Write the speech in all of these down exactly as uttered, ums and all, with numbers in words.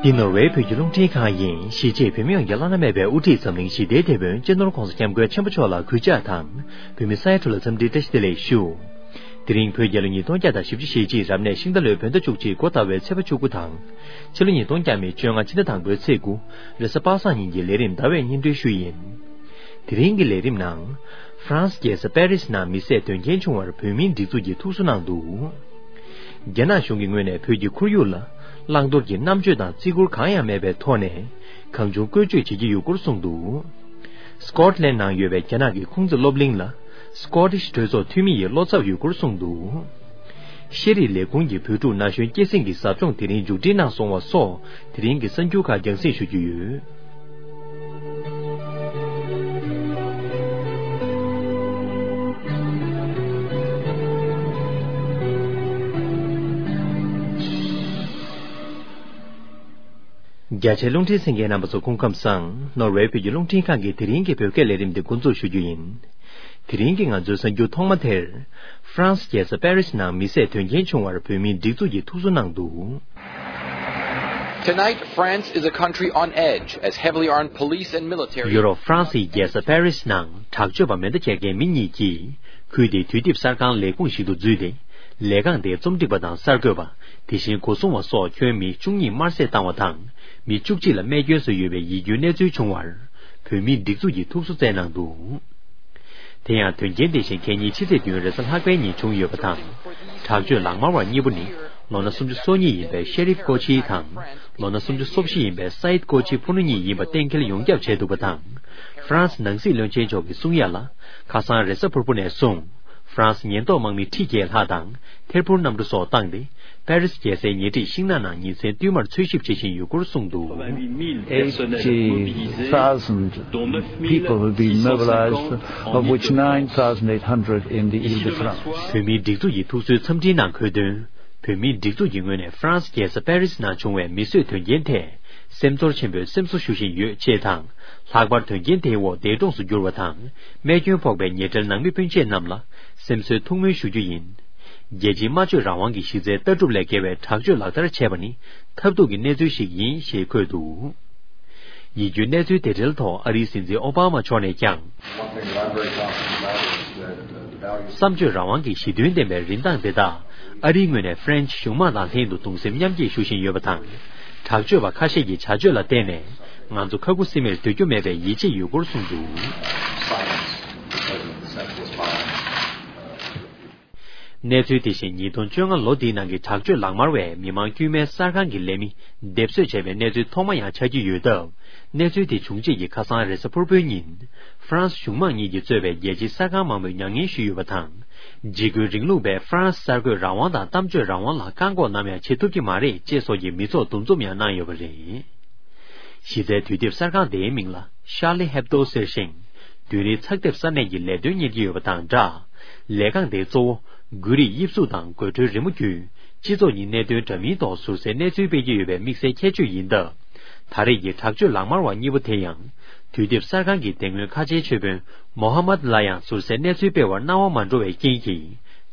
འདི་ནོར་ཝེ་བོད་ཀྱི་རླུང་འཕྲིན་ཁང་ཡིན། གཞིས་བྱེས་བོད་མི་ཡོངས་ཀྱི་བླ་ན་མེད་པའི་དབུ་ཁྲིད་འཛམ་གླིང་ཞི་བདེའི་དེད་དཔོན་སྤྱི་ནོར་༧གོང་ས་༧སྐྱབས་མགོན་ཆེན་པོ་མཆོག་ལ་གུས་ཕྱག་དང་། བོད་མི་ས་ཡ་དྲུག་ལ་འཚམས་འདྲིའི་བཀྲ་ཤིས་བདེ་ལེགས་ཞུ། དེ་རིང་བོད་རྒྱལ་ལོ་ཉིས་སྟོང་བརྒྱ་དང་བཞི་བཅུ་ཞེ་གཅིག་རབ་གནས་ཤིང་རྟ་ལོའི་བོད་ཟླ་བཅུ་གཅིག་འགོ་ཟླ་བའི་ཚེས་པ་བཅུ་དགུ་དང་། ཕྱི་ལོ་ཉིས་སྟོང་བརྒྱ་མེད་བཅོ་ལྔ་ཕྱི་ཟླ་དང་པོའི་ཚེས་དགུ། རེས་གཟའ་པ་སངས་ཉིན་གྱི་ལས་རིམ་ཟླ་བས་སྙན་སྒྲོན་ཞུ་ཡིན། དེ་རིང་གི་ལས་རིམ་ནང་། ཧྥ་རན་སི་རྒྱལ་ས་པེ་རི་སི་ནང་མི་བསད་དོན་རྐྱེན་བྱུང་བར་བོད་མིའི་སྒྲིག་འཛུགས་ཀྱིས་ཐུགས་གསོ་གནང་འདུག། རྒྱ་ནག་གཞུང་གི་ངོས་ནས་བོད་ཀྱི་ཁོར་ཡུག་ལ་བླང་དོར་གྱི་རྣམ་དཔྱོད་དང་བརྩི་བཀུར་གང་ཡང་མེད་པའི་ཐོག་ནས་གང་བྱུང་བཀོལ་སྤྱོད་བྱེད་ཀྱི་ཡོད་སྐོར་གསུངས་འདུག། སྐོཊ་ལན་ནང་ཡོད་པའི་རྒྱ་ནག་གི་ཁུང་ཙི་སློབ་གླིང་ལ་སྐོ་ཊིཤ་གྲོས་ཚོགས་འཐུས་མི་ཡིས་བློ་འཚབ་ཡོད་སྐོར་གསུངས་འདུག། ཤེས་རིག་ལས་ཁུངས་ཀྱི་བོད་ཕྲུག་ན་གཞོན་སྐྱེད་སྲིང་གི་ཟབ་སྦྱོང་དེ་རིང་མཇུག་སྒྲིལ་གནང་སོང་བ་སོགས་དེ་རིང་གི་གསར་འགྱུར་ཁག་རྒྱང་སྲིང་ཞུ་རྒྱུ་ཡོད། རྒྱ་ཆེའི་རླུང་འཕྲིན་གསན་མཁན་རྣམ་པ་ཚོ་སྐུ་ཁམས་བཟང་། ནོར་ཝེ་བོད་ཀྱི་རླུང་འཕྲིན་ཁང་གི་དེ་རིང་གི་བོད་སྐད་ལས་རིམ་འདི་འགོ་འཛུགས་ཞུ་རྒྱུ་ཡིན། དེ་རིང་གི་ང་ཚོའི་གསར་འགྱུར་ཐོག་མ་དེར། ཧྥ་རན་སི་རྒྱལ་ས་པེ་རི་སི་ནང་མི་བསད་དོན་རྐྱེན་བྱུང་བར་བོད་མིའི་སྒྲིག་འཛུགས་ཀྱིས་ཐུགས་གསོ་གནང་འདུག། Tonight, France is a country on edge as heavily armed police and military. ཡུ་རོབ་ཧྥ་རན་སིའི་རྒྱལ་ས་པེ་རི་སི་ནང་དྲག་སྤྱོད་པ་མེ་མདའ་འཁྱེར་མཁན་མི་གཉིས་ཀྱིས་ཁུལ་དེའི་དུས་དེབ་གསར་ཁང་ལས་ཁུངས་ཤིག་ཏུ་འཛུལ་ཏེ། ལས་ཁང་དེའི་རྩོམ་སྒྲིག་པ་དང་གསར་འགོད་པ། དེ་བཞིན་སྒོ་སྲུང་བ་སོགས་ཁྱོན་མི་བཅུ་གཉིས་དམར་བསད་བཏང་བ་དང་། མི་བཅུ་གཅིག་ལ་རྨས་སྐྱོན་བཟོས་ཡོད་པའི་ཡིད་སྐྱོའི་གནས་ཚུལ་བྱུང་བར། བོད་མིའི་སྒྲིག་འཛུགས་ཀྱིས་ཐུགས་གསོ་བསྩལ་གནང་འདུག། དེ་ཡང་དོན་རྐྱེན་དེ་བཞིན་གད་སྙིགས་ཕྱི་ཚེས་བདུན་རེས་གཟའ་ལྷག་པའི་ཉིན་བྱུང་ཡོད་པ་དང་། དྲག་སྤྱོད་ལག་དམར་བ་གཉིས་པོ་ནི་ལོ་ན་སུམ་ཅུ་སོ་གཉིས་ཡིན་པའི་ཤེ་རིབ་ཀོ་ཆི་དང་། ལོ་ན་སུམ་ཅུ་སོ་བཞི་ཡིན་པའི་སའིད་ཀོ་ཆི་ཕུ་ནུ་གཉིས་ཡིན་པ་གཏན་འཁེལ་ཡོངས་ཁྱབ་བྱས་འདུག་པ་དང་། ཧྥ་རན་སི་ནང་སྲིད་བློན་ཆེན་མཆོག་གིས་གསུང་ཡ་ལ། ཁ་སང་རེས་གཟའ་ཕུར་བུ་ནས་བཟུང་། ཧྥ་རན་སི་ཉེན་རྟོག་དམག་མི་ཁྲི་བརྒྱད་ལྷག་དང་། ཐེར་འབུར་གནམ་གྲུ་སོགས་བཏང་སྟེ། པེ་རི་སི་རྒྱལ་སའི་ཉེ་འཁྲིས་ཤིང་ནགས་ནང་ཉིན་མཚན་བསྟུད་མར་འཚོལ་ཞིབ་བྱེད་བཞིན་ཡོད་སྐོར་གསུངས་འདུག། Eighty thousand people have been mobilized, of which nine thousand eight hundred in the Ile-de-France. བོད་མིའི་སྒྲིག་འཛུགས་ཀྱི་ཐུགས་གསོའི་འཚམས་འཕྲིན་ནང་འཁོད་དོན། བོད་མིའི་སྒྲིག་འཛུགས་ཀྱི་ངོས་ནས་ཧྥ་རན་སི་རྒྱལ་ས་པེ་རི་སི་ནང་བྱུང་བའི་མི་གསོད་དོན་རྐྱེན་ཐད། སེམས་ཚོར་ཆེན་པོས་སེམས་གསོ་ཞུ་བཞིན་ཡོད་ཅེས་དང་། ལྷག་པར་དོན་རྐྱེན་དེའི་འོག་འདས་གྲོངས་སུ་གྱུར་བ་དང་། རྨས་སྐྱོན་ཕོག་པའི་ཉེ་འབྲེལ་ནང་མི་སྤུན་མཆེད་རྣམས་ལ་སེམས་གསོའི་ཐུགས་སྨོན་ཞུ་རྒྱུ་ཡིན། རྒྱལ་སྤྱིའི་སྨྲ་བརྗོད་རང་དབང་གི་གཞི་རྩའི་ལྟ་གྲུབ་ལས་བརྒལ་བའི་དྲག་སྤྱོད་ལག་བསྟར་བྱས་པ་ནི་ཐབས་སྡུག་གི་གནས་ཚུལ་ཞིག་ཡིན་ཞེས་འཁོད་འདུག། ཡིད་སྐྱོའི་གནས་ཚུལ་དེ་འབྲེལ་ཐོག་ཨ་རིའི་སྲིད་འཛིན་ཨོ་བྷ་མ་མཆོག་ནས་ཀྱང་། One thing that I'm very confident about is that, uh, the values བསམ་སྤྱོད་རང་དབང་གི་གཞི་མཐུན་ལྡན་པའི་རིན་ཐང་དེ་དག་ཨ་རིའི་ངོས་ནས་ཧྥ་རན་སི་གཞུང་དམངས་དང་ལྷན་དུ་གདུང་སེམས་མཉམ་སྐྱེད་ཞུ་བཞིན་ཡོད་པ་དང་། དྲག་སྤྱོད་པ་ཁ་ཤས་ཀྱི་བྱ་སྤྱོད་ལ་བརྟེན་ནས་ང་ཚོ་ཁ་ཁུ་སིམ་མེར་སྡོད་རྒྱུ་མེད་པའི་ཡིད་ཆེས་ཡོད་སྐོར་གསུངས་འདུག། གནས་ཚུལ་དེ་བཞིན་ཉིས་སྟོང་བཅོ་ལྔ་ལོ་འདིའི་ནང་གི་དྲག་སྤྱོད་ལག་དམར་བས་མི་མང་དཀྱུས་མའི་གསར་ཁང་གི་ལས་མི་སྡེབ་གསོད་བྱས་པའི་གནས་ཚུལ་ཐོག་མ་ཡང་ཆགས་ཀྱི་ཡོད་སྟབས། གནས་ཚུལ་དེ་བྱུང་རྗེས་ཀྱི་ཁ་སང་རེས་གཟའ་ཕུར་བུའི་ཉིན། ཧྥ་རན་སི་གཞུང་དམངས་གཉིས་ཀྱིས་གཙོས་པའི་རྒྱལ་སྤྱིའི་གསར་ཁང་མང་པོས་མྱ་ངན་ཞུས་ཡོད་པ་དང་། འཇིགས་སྐུལ་རིང་ལུགས་པས་ཧྥ་རན་སི་གསར་འགོད་རང་དབང་དང་གཏམ་བརྗོད་རང་དབང་ལ་བཀག་འགོག་ནམ་ཡང་བྱེད་ཐུབ་ཀྱི་མ་རེད་ཅེས་སོགས་ཀྱི་མི་ཚོགས་འདུ་འཛོམས་ཡང་གནང་ཡོད་པ་རེད། གཞི་རྩའི་དུས་དེབ་གསར་ཁང་དེའི་མིང་ལ་Charlie Hebdo ཟེར་ཞིང་། བདུན་རེའི་ཚགས་དེབ་གསར་གནས་ཀྱི་ལས་དོན་གཉེར་གྱི་ཡོད་པ་དང་སྦྲགས། ལས་ཁང་དེའི་གཙོ་བོ་དགོས་རིགས་དབྱིབས་གཟུགས་དང་དགོད་བྲོའི་རི་མོ་བརྒྱུད་སྤྱི་ཚོགས་གཉིས་གནད་དོན་འདྲ་མིན་ཐོག་ཟུར་གསལ་གནས་ཚུལ་སྤེལ་གྱི་ཡོད་པའི་དམིགས་བསལ་ཁྱད་ཆོས་ཡིན་སྟབས། ད་རེས་ཀྱི་དྲག་སྤྱོད་ལག་དམར་བ་གཉིས་པོ་དེ་ཡང་དུས་དེབ་གསར་ཁང་གི་དེ་སྔོན་ཁ་ཆེའི་ཆོས་དཔོན་མོ་ཧ་མད་ལ་ཡང་ཟུར་གསལ་གནས་ཚུལ་སྤེལ་བར་གནང་བ་མ་འགྲོ་བའི་རྐྱེན་གྱིས་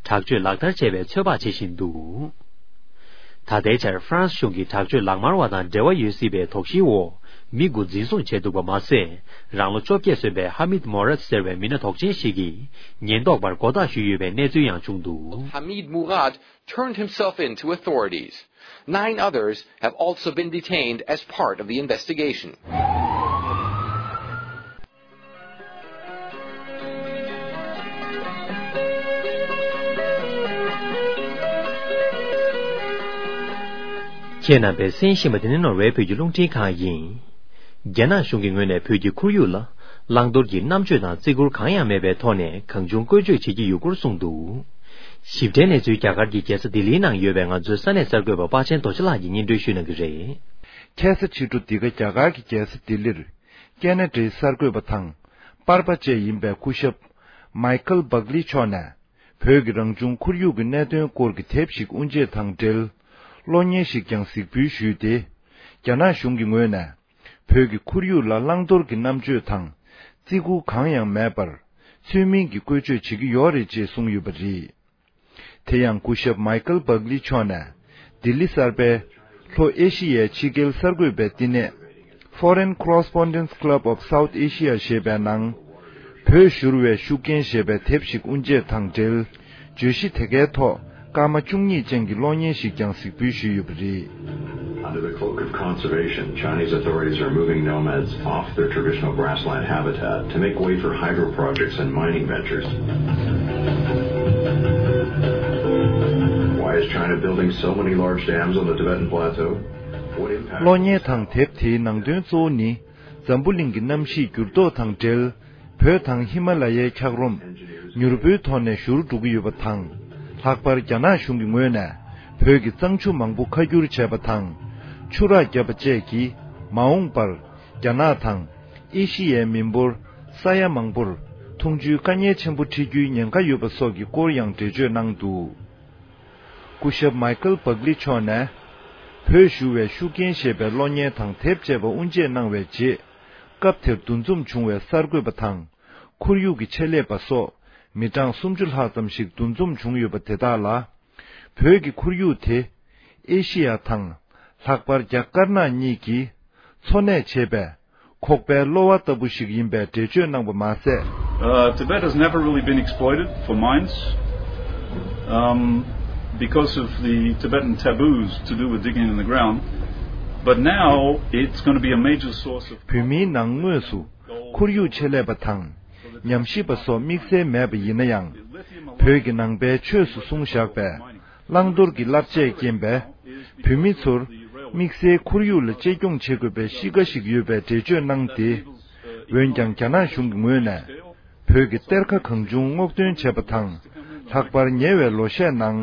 དྲག་སྤྱོད་ལག་བསྟར་བྱས་པའི་ཚོད་དཔག་བྱེད་བཞིན་འདུག། ད་ལྟའི་ཆར་ཧྥ་རན་སི་གཞུང་གིས་དྲག་སྤྱོད་ལག་དམར་བ་དང་འབྲེལ་བ་ཡོད་སྲིད་པའི་དོགས་གཞིའི་འོག་མི་དགུ་འཛིན་བཟུང་བྱས་འདུག་པ་མ་ཟད། རང་ལོ་བཅོ་བརྒྱད་སོན་པའི་ཧ་མིད་མོ་རད་ཟེར་བའི་མི་སྣ་དོགས་ཅན་ཞིག་གིས་ཉེན་རྟོག་པར་མགོ་བཏགས་ཞུས་ཡོད་པའི་གནས་ཚུལ་ཡང་བྱུང་འདུག། Hamid Murad turned himself in to authorities. Nine others have also been detained as part of the investigation. ཁྱེད་རྣམ་པས་གསན་བཞིན་པ་དེ་ནི་ནོར་ཝེ་བོད་ཀྱི་རླུང་འཕྲིན་ཁང་ཡིན། རྒྱ་ནག་གཞུང་གི་ངོས་ནས་བོད་ཀྱི་ཁོར་ཡུག་ལ་བླང་དོར་གྱི་རྣམ་དཔྱོད་དང་བརྩི་བཀུར་གང་ཡང་མེད་པའི་ཐོག་ནས་གང་བྱུང་བཀོལ་སྤྱོད་བྱེད་ཀྱི་ཡོད་སྐོར་གསུངས་འདུག། ཞིབ་ཕྲའི་གནས་ཚུལ་རྒྱ་གར་གྱི་རྒྱལ་ས་ལྡི་ལིའི་ནང་ཡོད་པའི་ང་ཚོའི་ས་གནས་གསར་འགོད་པ་དཔའ་ཆེན་རྡོ་རྗེ་ལགས་ཀྱིས་སྙན་སྒྲོན་ཞུ་གནང་གི་རེད། ཁ་སང་ཕྱི་དྲོ་འདི་ག་རྒྱ་གར་གྱི་རྒྱལ་ས་ལྡི་ལིར། ཀེ་ན་ཌའི་གསར་འགོད་པ་དང་། པར་པ་བཅས་ཡིན་པའི་སྐུ་ཞབས། མའི་ཁལ་བྷག་ལི་མཆོག་ནས། བོད་ཀྱི་རང་བྱུང་ཁོར་ཡུག་གི་གནད་དོན་སྐོར་གྱི་དེབ་ཞིག་དབུ་འབྱེད་དང་འབྲེལ། གློག་བརྙན་ཞིག་ཀྱང་གཟིགས་འབུལ་ཞུས་ཏེ། རྒྱ་ནག་གཞུང་གི་ངོས་ནས། བོད་ཀྱི་ཁོར་ཡུག་ལ་བླང་དོར་གྱི་རྣམ་དཔྱོད་དང་། བརྩི་བཀུར་གང་ཡང་མེད་པར། ཚུལ་མིན་གྱི་བཀོལ་སྤྱོད་བྱེད་ཀྱི་ཡོད་རེད་ཅེས་གསུངས་ཡོད་པ་རེད། དེ་ཡང་སྐུ་ཞབས་མའི་ཁལ་བྷག་ལི་མཆོག་ནས་ལྡི་ལི་གསར་པའི་ ལྷོ་ཨེ་ཤི་ཡའི་ཕྱི་རྒྱལ་གསར་འགོད་པའི་བསྟི་གནས། Foreign Correspondents Club of South Asia ཞེས་པའི་ནང་། བོད་བཞུར་བའི་ཤུགས་རྐྱེན་ཞེས་པའི་དེབ་ཞིག་དབུ་འབྱེད་དང་འབྲེལ། བརྗོད་གཞི་དེ་གའི་ཐོག་སྐར་མ་བཅུ་གཉིས་ཅན་གྱི་གློག་བརྙན་ཞིག་ཀྱང་གཟིགས་འབུལ་ཞུས་ཡོད་པ་རེད། Under the cloak of conservation, Chinese authorities are moving nomads off their traditional grassland habitat to make way for hydro projects and mining ventures. Why is China building so many large dams on the Tibetan Plateau? What impact གློག་བརྙན་དང་དེབ་དེའི་ནང་དོན་གཙོ་བོ་ནི། འཛམ་བུ་གླིང་གི་གནམ་གཤིས་འགྱུར་ལྡོག་དང་འབྲེལ། བོད་དང་ཧི་མ་ལ་ཡའི་འཁྱགས་རོམ། མྱུར་པོའི་ཐོག་ནས་བཞུར་འགྲོ་གི་ཡོད་པ་དང་། ལྷག་པར་རྒྱ་ནག་གཞུང་གི་ངོས་ནས། བོད་ཀྱི་གཙང་ཆུ་མང་པོ་ཁ་བསྒྱུར་བྱས་པ་དང་། ཆུ་རགས་བརྒྱབ་པ་བཅས་ཀྱིས། མ་འོངས་པར། རྒྱ་ནག་དང་། ཨེ་ཤི་ཡའི་མི་འབོར། ས་ཡ་མང་པོར། འཐུང་ཆུའི་དཀའ་ངལ་ཆེན་པོ་འཕྲད་རྒྱུའི་ཉེན་ཁ་ཡོད་པ་སོགས་ཀྱི་སྐོར་ཡང་འགྲེལ་བརྗོད་གནང་འདུག་སྐུ་ཞབས་མའི་ཀལ་བག་ལི་མཆོག་ནས། བོད་བཞུ་བའི་ཤུགས་རྐྱེན་ཞེས་པའི་གློག་བརྙན་དང་དེབ་ཅེས་པ་དབུ་འབྱེད་གནང་བའི་རྗེས། སྐབས་དེར་འདུ་འཛོམས་བྱུང་བའི་གསར་འགོད་པ་དང་། ཁོར་ཡུག་གི་ཆེད་ལས་པ་སོགས། མི་གྲངས་སུམ་ཅུ་ལྷག་ཙམ་ཞིག་འདུ་འཛོམས་བྱུང་ཡོད་པ་དེ་དག་ལ། བོད་ཀྱི་ཁོར་ཡུག་དེ། ཨེ་ཤི་ཡ་དང་། ལྷག་པར་རྒྱ་དཀར་ནག་གཉིས་ཀྱིས། འཚོ་གནས་བྱེད་པའི། ཁོག་པའི་གློ་བ་ལྟ་བུ་ཞིག་ཡིན་པའི་འགྲེལ་བརྗོད་གནང་བ་མ་ཟད། Uh, Tibet has never really been exploited for mines, um, because of the Tibetan taboos to do with digging in the ground. But now it's going to be a major source of བོད་མིའི་ནང་དངོས་སུ་ཁོར་ཡུག་ཆེད་ལས་པ་དང་ཉམས་ཞིབ་པ་སོགས་དམིགས་བསལ་མེད་པ་ཡིན་ན་ཡང་། བོད་ཀྱི་ནང་པའི་ཆོས་སུ་གསུངས་བཞག་པའི། བླང་དོར་གྱི་བསླབ་བྱས་རྐྱེན་པས། བོད་མི་ཚོར་དམིགས་བསལ་ཁོར་ཡུག་ལ་གཅེས་སྐྱོང་བྱེད་དགོས་པའི་གཤིས་ཀ་ཞིག་ཡོད་པའི་འགྲེལ་བརྗོད་གནང་སྟེ། འོན་ཀྱང་རྒྱ་ནག་གཞུང་གི་ངོས་ནས། བོད་ཀྱི་གཏེར་ཁ་གང་བྱུང་སྔོག་འདོན་བྱས་པ་དང་། ལྷག་པར་ཉེ་བའི་ལོ་ཤས་ནང་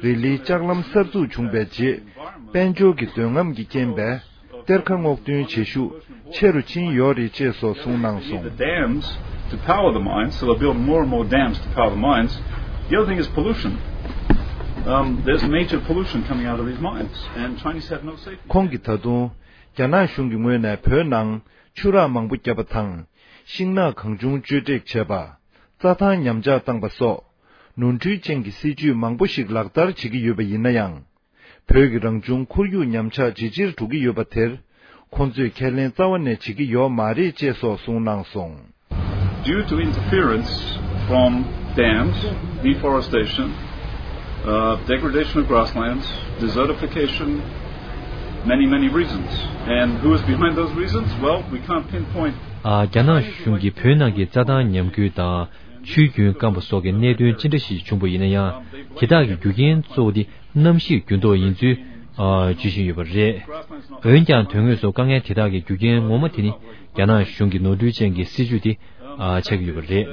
རི་ལིའི་ལྕགས་ལམ་གསར་འཛུགས་བྱུང་བའི་རྗེས། དཔལ་འབྱོར་གྱི་འདོད་རྔམ་གྱི་རྐྱེན་པས། གཏེར་ཁ་སྔོག་འདོན་བྱེད་ཤུགས་ཆེ་རུ་ཕྱིན་ཡོད་རེད་ཅེས་སོགས་གསུངས་གནང་སོང་། The dams to power the mines, so they're building more and more dams to power the mines. The other thing is pollution. Um, there's major pollution coming out of these mines, and Chinese have no safety. ཁོང་གིས་ད་དུང་རྒྱ་ནག་གཞུང་གི་ངོས་ནས་བོད་ནང་ཆུ་རགས་མང་པོ་བརྒྱབ་པ་དང་། ཤིང་ནགས་གང་བྱུང་གཅོད་བྲེག་བྱས་པ། རྩྭ་ཐང་ཉམས་ཆག་བཏང་པ་སོགས། ནོར་འཁྲུལ་ཅན་གྱི་སྲིད་ཇུས་མང་པོ་ཞིག་ལག་བསྟར་བྱེད་ཀྱི་ཡོད་པ་ཡིན་ན་ཡང་། བོད་ཀྱི་རང་བྱུང་ཁོར་ཡུག་ཉམས་ཆག་ཇེ་ཆེར་འགྲོ་གི་ཡོད་པ་དེར། ཁོང་ཚོས་ཁས་ལེན་རྩ་བ་ནས་བྱེད་ཀྱི་ཡོད་མ་རེད་ཅེས་སོགས་གསུངས་གནང་སོང་། Due to interference from dams, deforestation, uh, degradation of grasslands, desertification, many, many reasons. And who is behind those reasons? Well, we can't pinpoint. ཨ། རྒྱ་ནག་གཞུང་གིས་བོད་ནང་གི་རྩྭ་ཐང་ཉམས་རྒུད་དང་། ཆུའི་རྒྱུན་སྐམ་པ་སོགས་ཀྱི་གནད་དོན་ཅི་འདྲ་ཞིག་བྱུང་པ་ཡིན་ན་ཡང་། དེ་དག་གི་རྒྱུ་རྐྱེན་གཙོ་བོ་དེ་གནམ་གཤིས་འགྱུར་ལྡོག་ཡིན་ཚུལ། ཨ། བརྗོད་བཞིན་ཡོད་པ་རེད། འོན་ཀྱང་། དོན་དངོས་སུ་དཀའ་ངལ་དེ་དག་གི་རྒྱུ་རྐྱེན་ངོ་མ་དེ་ནི། རྒྱ་ནག་གཞུང་གི་ནོར་འཁྲུལ་ཅན་གྱི་སྲིད་ཇུས་དེ། ཨ། ཆགས་ཀྱི་ཡོད་པ་རེད།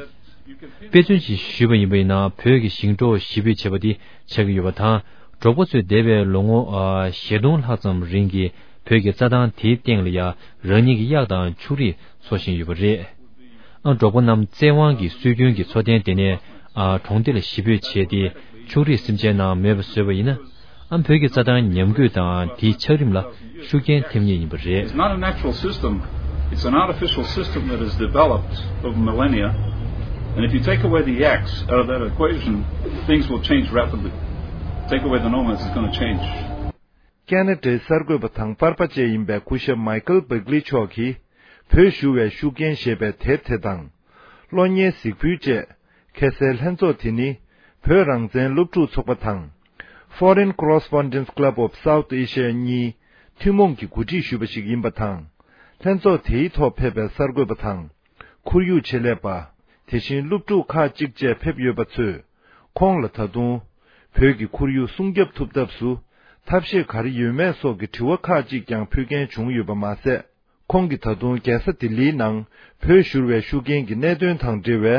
དཔེ་མཚོན་ཅིག་ཞུས་པ་ཡིན་པ་ཡིན་ན། བོད་ཀྱི་ཞིང་འབྲོག་གཞིས་སྤོས་བྱེད་པ་དེ་ཆགས་ཀྱི་ཡོད་པ་དང་། འབྲོག་པ་ཚོས་འདས་པའི་ལོ་ངོ། ཨ། ཞེ་སྟོང་ལྷག་ཙམ་རིང་གི་བོད་ཀྱི་རྩྭ་ཐང་དེའི་སྟེང་ལ་ཡང་རང་ཉིད་ཀྱི་གཡག་དང་ཕྱུགས་རིགས་འཚོ་བཞིན་ཡོད་པ་རེད། ཨ། འབྲོག་པ་རྣམས་བཙན་དབང་གིས་སྲོལ་རྒྱུན་གྱི་འཚོ་རྟེན་དེ་ནས། ཨ། གྲོང་སྡེ་ལ་གཞིས་སྤོས་བྱས་ཏེ། ཕྱུགས་རིགས་སེམས་ཅན་རྣམས་མེད་པར་བཟོས་པ་ཡིན་ན། ཨ། བོད་ཀྱི་རྩྭ་ཐང་ཉམས་རྒུད་དང་དེའི་ཆགས་རིམ་ལ་ཤུགས་རྐྱེན་ཐེབས་ངེས་ཡིན་པ་རེད། It's not a natural system. It's an artificial system that has developed over millennia. And if you take away the yaks out of that equation, things will change rapidly. Take away the nomads, it's going to change. ཀེ་ན་ཌའི་གསར་འགོད་པ་དང་པར་པ་བཅས་ཡིན་པའི་སྐུ་ཞབས་མའི་ཀལ་བག་ལི་མཆོག་གིས། བོད་བཞུ་བའི་ཤུགས་རྐྱེན་ཞེས་པའི་དེབ་དེ་དང་། གློག་བརྙན་གཟིགས་འབུལ་བཅས། ཁ་གསལ་ལྷན་ཚོགས་དེ་ནི། བོད་རང་བཙན་སློབ་ཕྲུག་ཚོགས་པ་དང་། Foreign Correspondents Club of South Asia གཉིས། ཐུན་མོང་གིས་གོ་སྒྲིག་ཞུས་པ་ཞིག་ཡིན་པ་དང་། ལྷན་ཚོགས་དེའི་ཐོག་ཕེབས་པའི་གསར་འགོད་པ་དང་། ཁོར་ཡུག་ཆེད་ལས་པ། དེ་བཞིན་སློབ་ཕྲུག་ཁག་ཅིག་བཅས་ཕེབས་ཡོད་པ་ཚོས། ཁོང་ལ་ད་དུང་། བོད་ཀྱི་ཁོར་ཡུག་སྲུང་སྐྱོབ་ཐུབ་ཐབས་སུ། ཐབས་ཤེས་ག་རེ་ཡོད་མེད་སོགས་ཀྱི་དྲི་བ་ཁག་ཅིག་ཀྱང་ཕུལ་མཁན་བྱུང་ཡོད་པ་མ་ཟད། ཁོང་གིས་ད་དུང་རྒྱལ་ས་ལྡི་ལིའི་ནང་བོད་བཞུར་བའི་ཤུགས་རྐྱེན་གྱི་གནད་དོན་དང་འབྲེལ་བའི་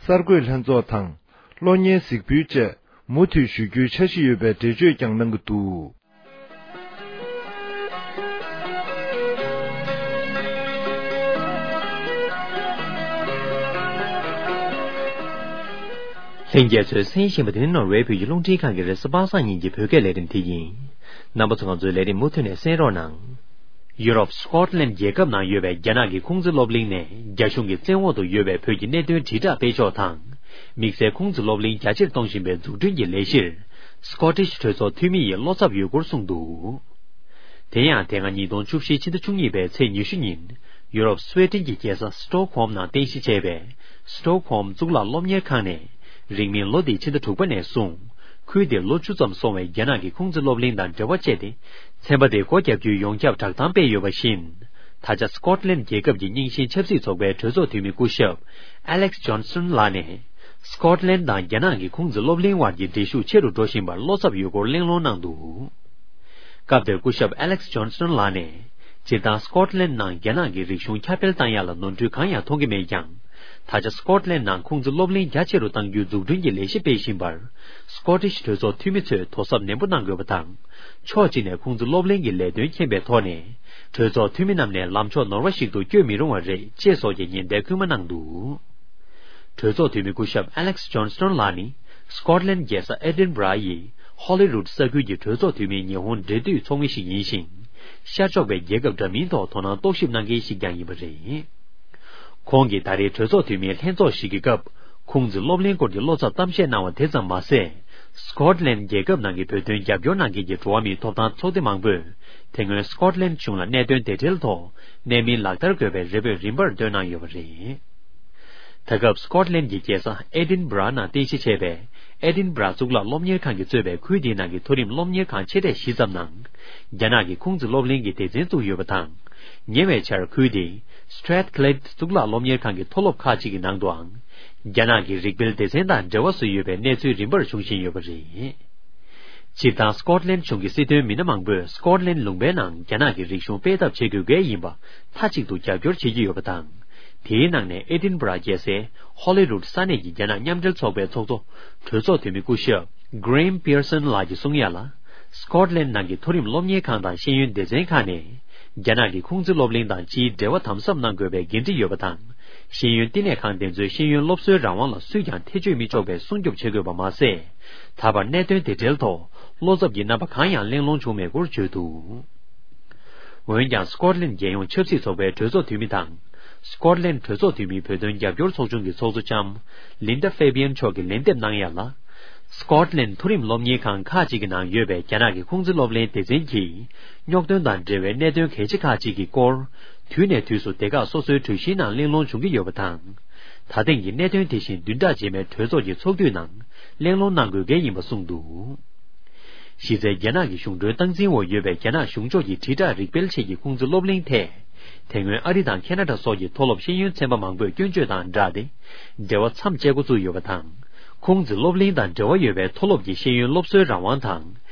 གསར་འགོད་ལྷན་ཚོགས་དང་། གློག་བརྙན་གཟིགས་འབུལ་བཅས་མུ་མཐུད་ཞུ་རྒྱུའི་འཆར་གཞི་ཡོད་པའི་འགྲེལ་བརྗོད་ཀྱང་གནང་གི་འདུག་ལྷན་རྒྱས་ཚོས་གསན་བཞིན་པ་དེ་ནི་ནོར་ཝེ་བོད་ཀྱི་རླུང་འཕྲིན་ཁང་གི་རེས་གཟའ་པ་སངས་ཉིན་གྱི་བོད་སྐད་ལས་རིམ་དེ་ཡིན། རྣམ་པ་ཚོ་ང་ཚོའི་ལས་རིམ་མུ་མཐུད་ནས་གསན་རོགས་གནང་། ཡུ་རོབ་སི་ཀོཊ་ལན་རྒྱལ་ཁབ་ནང་ཡོད་པའི་རྒྱ་ནག་གི་ཁུང་ཙི་སློབ་གླིང་ནས་རྒྱ་གཞུང་གི་བཙན་འོག་ཏུ་ཡོད་པའི་བོད་ཀྱི་གནད་དོན་དྲིལ་བསྒྲགས་སྤེལ་ཕྱོགས་དང་། དམིགས་བསལ་ཁུང་ཙི་སློབ་གླིང་རྒྱ་ཆེར་གཏོང་བཞིན་པའི་འཛུགས་སྐྲུན་གྱི་ལས་གཞིར། སི་ཀོ་ཊིཤ་གྲོས་ཚོགས་འཐུས་མི་ཡིས་བློ་འཚབ་ཡོད་སྐོར་གསུངས་འདུག་དེ་ཡང་དེ་སྔ་ཉིས་སྟོང་བཅུ་བཞི་ཕྱི་ཟླ་བཅུ་གཉིས་པའི་ཚེས་ཉི་ཤུ་ཉིན། ཡུ་རོབ་སུའེ་ཏེན་གྱི་རྒྱལ་ས་སི་ཏོག་ཧོམ་ནང་རྟེན་གཞི་བྱས་པའི་སི་ཏོག་ཧོམ་གཙུག་ལག་སློབ་གཉེར་ཁང་ནས། རིང་མིན་ལོ་འདིའི་ཕྱི་ཟླ་དྲུག་པ་ནས་བཟུང་། ཁུལ་དེར་ལོ་བཅུ་ཙམ་སོང་བའི་རྒྱ་ནག་གི་ཁུང་ཙི་སློབ་གླིང་དང་འབྲེལ་བ་བཅད་དེ། ཚན་པ་དེ་སྒོ་བརྒྱབ་རྒྱུའི་ཡོངས་ཁྱབ་བསྒྲགས་གཏམ་སྤེལ་ཡོད་པ་བཞིན། ད་ཆ་སི་ཀོཊ་ལན་རྒྱལ་ཁབ་ཀྱི་རྙིང་ཞེན་ཆབ་སྲིད་ཚོགས་པའི་གྲོས་ཚོགས་འཐུས་མི་སྐུ་ཞབས་ཨ་ལེག་སི་ཇོན་སི་ཊོན་ལགས་ནས། སི་ཀོཊ་ལན་དང་རྒྱ་ནག་གི་ཁུང་ཙི་སློབ་གླིང་དབར་གྱི་འབྲེལ་ཤུགས་ཆེ་རུ་འགྲོ་བཞིན་པར་བློ་འཚབ་ཡོད་སྐོར་གླེང་སློང་གནང་འདུག་སྐབས་དེར་སྐུ་ཞབས་ཨ་ལེག་སི་ཇོན་སི་ཊོན་ལགས་ནས། སྤྱིར་བཏང་སི་ཀོཊ་ལན་ནང་རྒྱ་ནག་གི་རིག་གཞུང་ཁྱབ་སྤེལ་བཏང་ཡག་ལ་ནོར་འཁྲུལ་གང་ཡང་མཐོང་གི་མེད་ཀྱང་། ད་ཆ་སི་ཀོཊ་ལན་ནང་ཁུང་ཙི་སློབ་གླིང་རྒྱ་ཆེ་རུ་གཏང་རྒྱུའི་འཛུགས་སྐྲུན་གྱི་ལས་གཞི་སྤེལ་བཞིན་པར། སི་ཀོ་ཊིཤ་གྲོས་ཚོགས་འཐུས་མི་ཚོས་དོ་གཟབ་ནན་པོ་གནང་དགོས་པ་དང་། ཕྱོགས་གཅིག་ནས་ཁུང་ཙི་སློབ་གླིང་གི་ལས་དོན་མཁྱེན་པའི་ཐོག་ནས། གྲོས་ཚོགས་འཐུས་མི་རྣམས་ནས་ལམ་ཕྱོགས་ནོར་བ་ཞིག་ཏུ་བསྐྱོད་མི་རུང་བ་རེད་ཅེས་སོགས་ཀྱི་ཉེན་བརྡ་སྐུལ་མ་གནང་འདུག་གྲོས་ཚོགས་འཐུས་མི་སྐུ་ཞབས་ཨ་ལེག་སི་ཇོན་སི་ཊོན་ལགས་ནི། སི་ཀོཊ་ལན་རྒྱལ་ས་ཨེ་ཌིན་བྷ་ར་ཡི་ཧོ་ལི་རུད་ས་ཁུལ་གྱི་གྲོས་ཚོགས་འཐུས་མིའི་ཉི་ཧོང་འབྲེལ་མཐུད་ཚོགས་མི་ཞིག་ཡིན་ཞིང་། ཤར་ཕྱོགས་པའི་རྒྱལ་ཁབ་འདྲ་མིན་ཐོག་དོ་སྣང་རྟོག་ཞིབ་གནང་མཁན་ཞིག་ཀྱང་ཡིན་པ་རེད། ཁོང་གིས་ད་རེས་གྲོས་ཚོགས་འཐུས་མིའི་ལྷན་ཚོགས་ཤིག་གི་སྐབས། ཁུང་ཙི་སློབ་གླིང་སྐོར་གྱི་བློ་འཚབ་གཏམ་བཤད་གནང་བ་དེ་ཙམ་མ་ཟད། སི་ཀོཊ་ལན་རྒྱལ་ཁབ་ནང་གི་བོད་དོན་རྒྱབ་སྐྱོར་གནང་མཁན་གྱི་འགྲོ་བ་མིའི་ཐོབ་ཐང་ཚོགས་སྡེ་མང་པོས། དེ་སྔོན་སི་ཀོཊ་ལན་གཞུང་ལ་གནད་དོན་དེ་འབྲེལ་ཐོག་གནད་སྨིན་ལག་བསྟར་དགོས་པའི་རེ་འབོད་རིམ་པར་བཏོན་གནང་ཡོད་པ་རེད། ད་སྐབས་སི་ཀོཊ་ལན་གྱི་རྒྱལ་ས་ཨེ་ཌིན་བྷ་ར་ནང་རྟེན་གཞི་བྱས་པའི་ཨེ་ཌིན་བྷ་ར་གཙུག་ལག་སློབ་གཉེར་ཁང་གིས་གཙོས་པའི་ཁུལ་དེའི་ནང་གི་མཐོ་རིམ་སློབ་གཉེར་ཁང་ཆེ་གྲས་བཞི་ཙམ་ནང་། རྒྱ་ནག་གི་ཁུང་ཙི་སློབ་གླིང་གི་སྡེ་ཚན་བཙུགས་ཡོད་པ་དང་། ཉེ་བའི་ཆར་ཁུལ་དེའི་Strathclyde་གཙུག་ལག་སློབ་གཉེར་ཁང་གི་མཐོ་སློབ་ཁག་ཅིག་གི་ནང་དུའང་། རྒྱ་ནག་གི་རིགས་སྤེལ་སྡེ་ཚན་དང་འབྲེལ་བ་བཟོས་ཡོད་པའི་གནས་ཚུལ་རིམ་པར་བྱུང་བཞིན་ཡོད་པ་རེད། སྤྱིར་བཏང་སི་ཀོཊ་ལན་གཞུང་གི་སྲིད་དོན་མི་སྣ་མང་པོས་སི་ཀོཊ་ལན་ལུང་པའི་ནང་རྒྱ་ནག་གི་རིག་གཞུང་སྤེལ་ཐབས་བྱེད་དགོས་གལ་ཡིན་པ་མཐའ་གཅིག་ཏུ་རྒྱབ་སྐྱོར་བྱེད་ཀྱི་ཡོད་པ་དང་། དེའི་ནང་ནས་ཨེ་ཌིན་བྷ་ར་རྒྱལ་སའི་ཧོ་ལི་རུད་ས་གནས་ཀྱི་རྒྱ་ནག་མཉམ་འབྲེལ་ཚོགས་པའི་ཚོགས་གཙོ་གྲོས་ཚོགས་འཐུས་མི་སྐུ་ཞབས་Graham Pearson་ལགས་ཀྱིས་གསུང་ཡ་ལ། སི་ཀོཊ་ལན་ནང་གི་མཐོ་རིམ་སློབ་གཉེར་ཁང་དང་ཤེས་ཡོན་སྡེ་ཚན་ཁག་ནས་རྒྱ་ནག་གི་ཁུང་ཙི་སློབ་གླིང་དང་སྤྱིའི་འབྲེལ་བ་དམ་ཟབ་གནང་དགོས་པའི་འགན་འཁྲི་ཡོད་པ་དང་། ཤེས་ཡོན་བསྟི་གནས་ཁང་དེ་ཚོའི་ཤེས་ཡོན་སློབ་གསོའི་རང་དབང་ལ་སུས་ཀྱང་ཐེ་བྱུས་མི་ཆོག་པའི་སྲུང་སྐྱོབ་བྱེད་དགོས་པ་མ་ཟད། ད་བར་གནད་དོན་དེ་འབྲེལ་ཐོག་བློ་འཚབ་ཀྱི་རྣམ་པ་གང་ཡང་གླེང་སློང་བྱུང་མེད་སྐོར་བརྗོད་འདུག་འོན་ཀྱང་སི་ཀོཊ་ལན་རྒྱལ་ཡོངས་ཆབ་སྲིད་ཚོགས་པའི་གྲོས་ཚོགས་འཐུས་མི་དང་། སི་ཀོཊ་ལན་གྲོས་ཚོགས་འཐུས་མིའི་བོད་དོན་རྒྱབ་སྐྱོར་ཚོགས་ཆུང་གི་ཚོགས་གཙོ་ལྕམ་Linda Fabian་མཆོག་གིས་ལན་འདེབས་གནང་ཡ་ལ། སི་ཀོཊ་ལན་མཐོ་རིམ་སློབ་གཉེར་ཁང་ཁག་ཅིག་གི་ནང་ཡོད་པའི་རྒྱ་ནག་གི་ཁུང་ཙི་སློབ་གླིང་སྡེ་ཚན་གྱིས་རྙོག་དོན་དང་འབྲེལ་བའི་གནད་དོན་གལ་ཆེ་ཁག་ཅིག་གི་སྐོར། དུས་ནས་དུས་སུ་སྡེ་ཁག་སོ་སོའི་གྲོས་གཞིའི་ནང་གླེང་སློང་བྱུང་གི་ཡོད་པ་དང་། ད་ཐེངས་ཀྱི་གནད་དོན་དེ་བཞིན་བདུན་ཕྲག་རྗེས་མའི་གྲོས་ཚོགས་ཀྱི་ཚོགས་དུས་ནང་གླེང་སློང་གནང་དགོས་གལ་ཡིན་པ་གསུངས་འདུག་གཞི་རྩའི་རྒྱ་ནག་གི་གཞུང་འབྲེལ་སྟངས་འཛིན་འོག་ཡོད་པའི་རྒྱ་ནག་གཞུང་ཕྱོགས་ཀྱི་དྲིལ་བསྒྲགས་རིག་སྤེལ་ཆེད་ཀྱི་ཁུང་ཙི་སློབ་གླིང་ཐད། དེ་སྔོན་ཨ་རི་དང་ཁེ་ན་ཌ་སོགས་ཀྱི་མཐོ་སློབ་ཤེས་ཡོན་ཚན་པ་མང་པོས་སྐྱོན་བརྗོད་དང་སྦྲགས་ཏེ། འབྲེལ་བ་མཚམས་བཅད་འགོ་བཙུགས་ཡོད་པ་དང་། ཁུང་ཙི་སློབ་གླིང་དང་འབྲེལ་བ་ཡོད་པའི་མཐོ་སློབ་ཀྱི་ཤེས་ཡོན་སློབ་གསོའི་རང་དབང་དང་།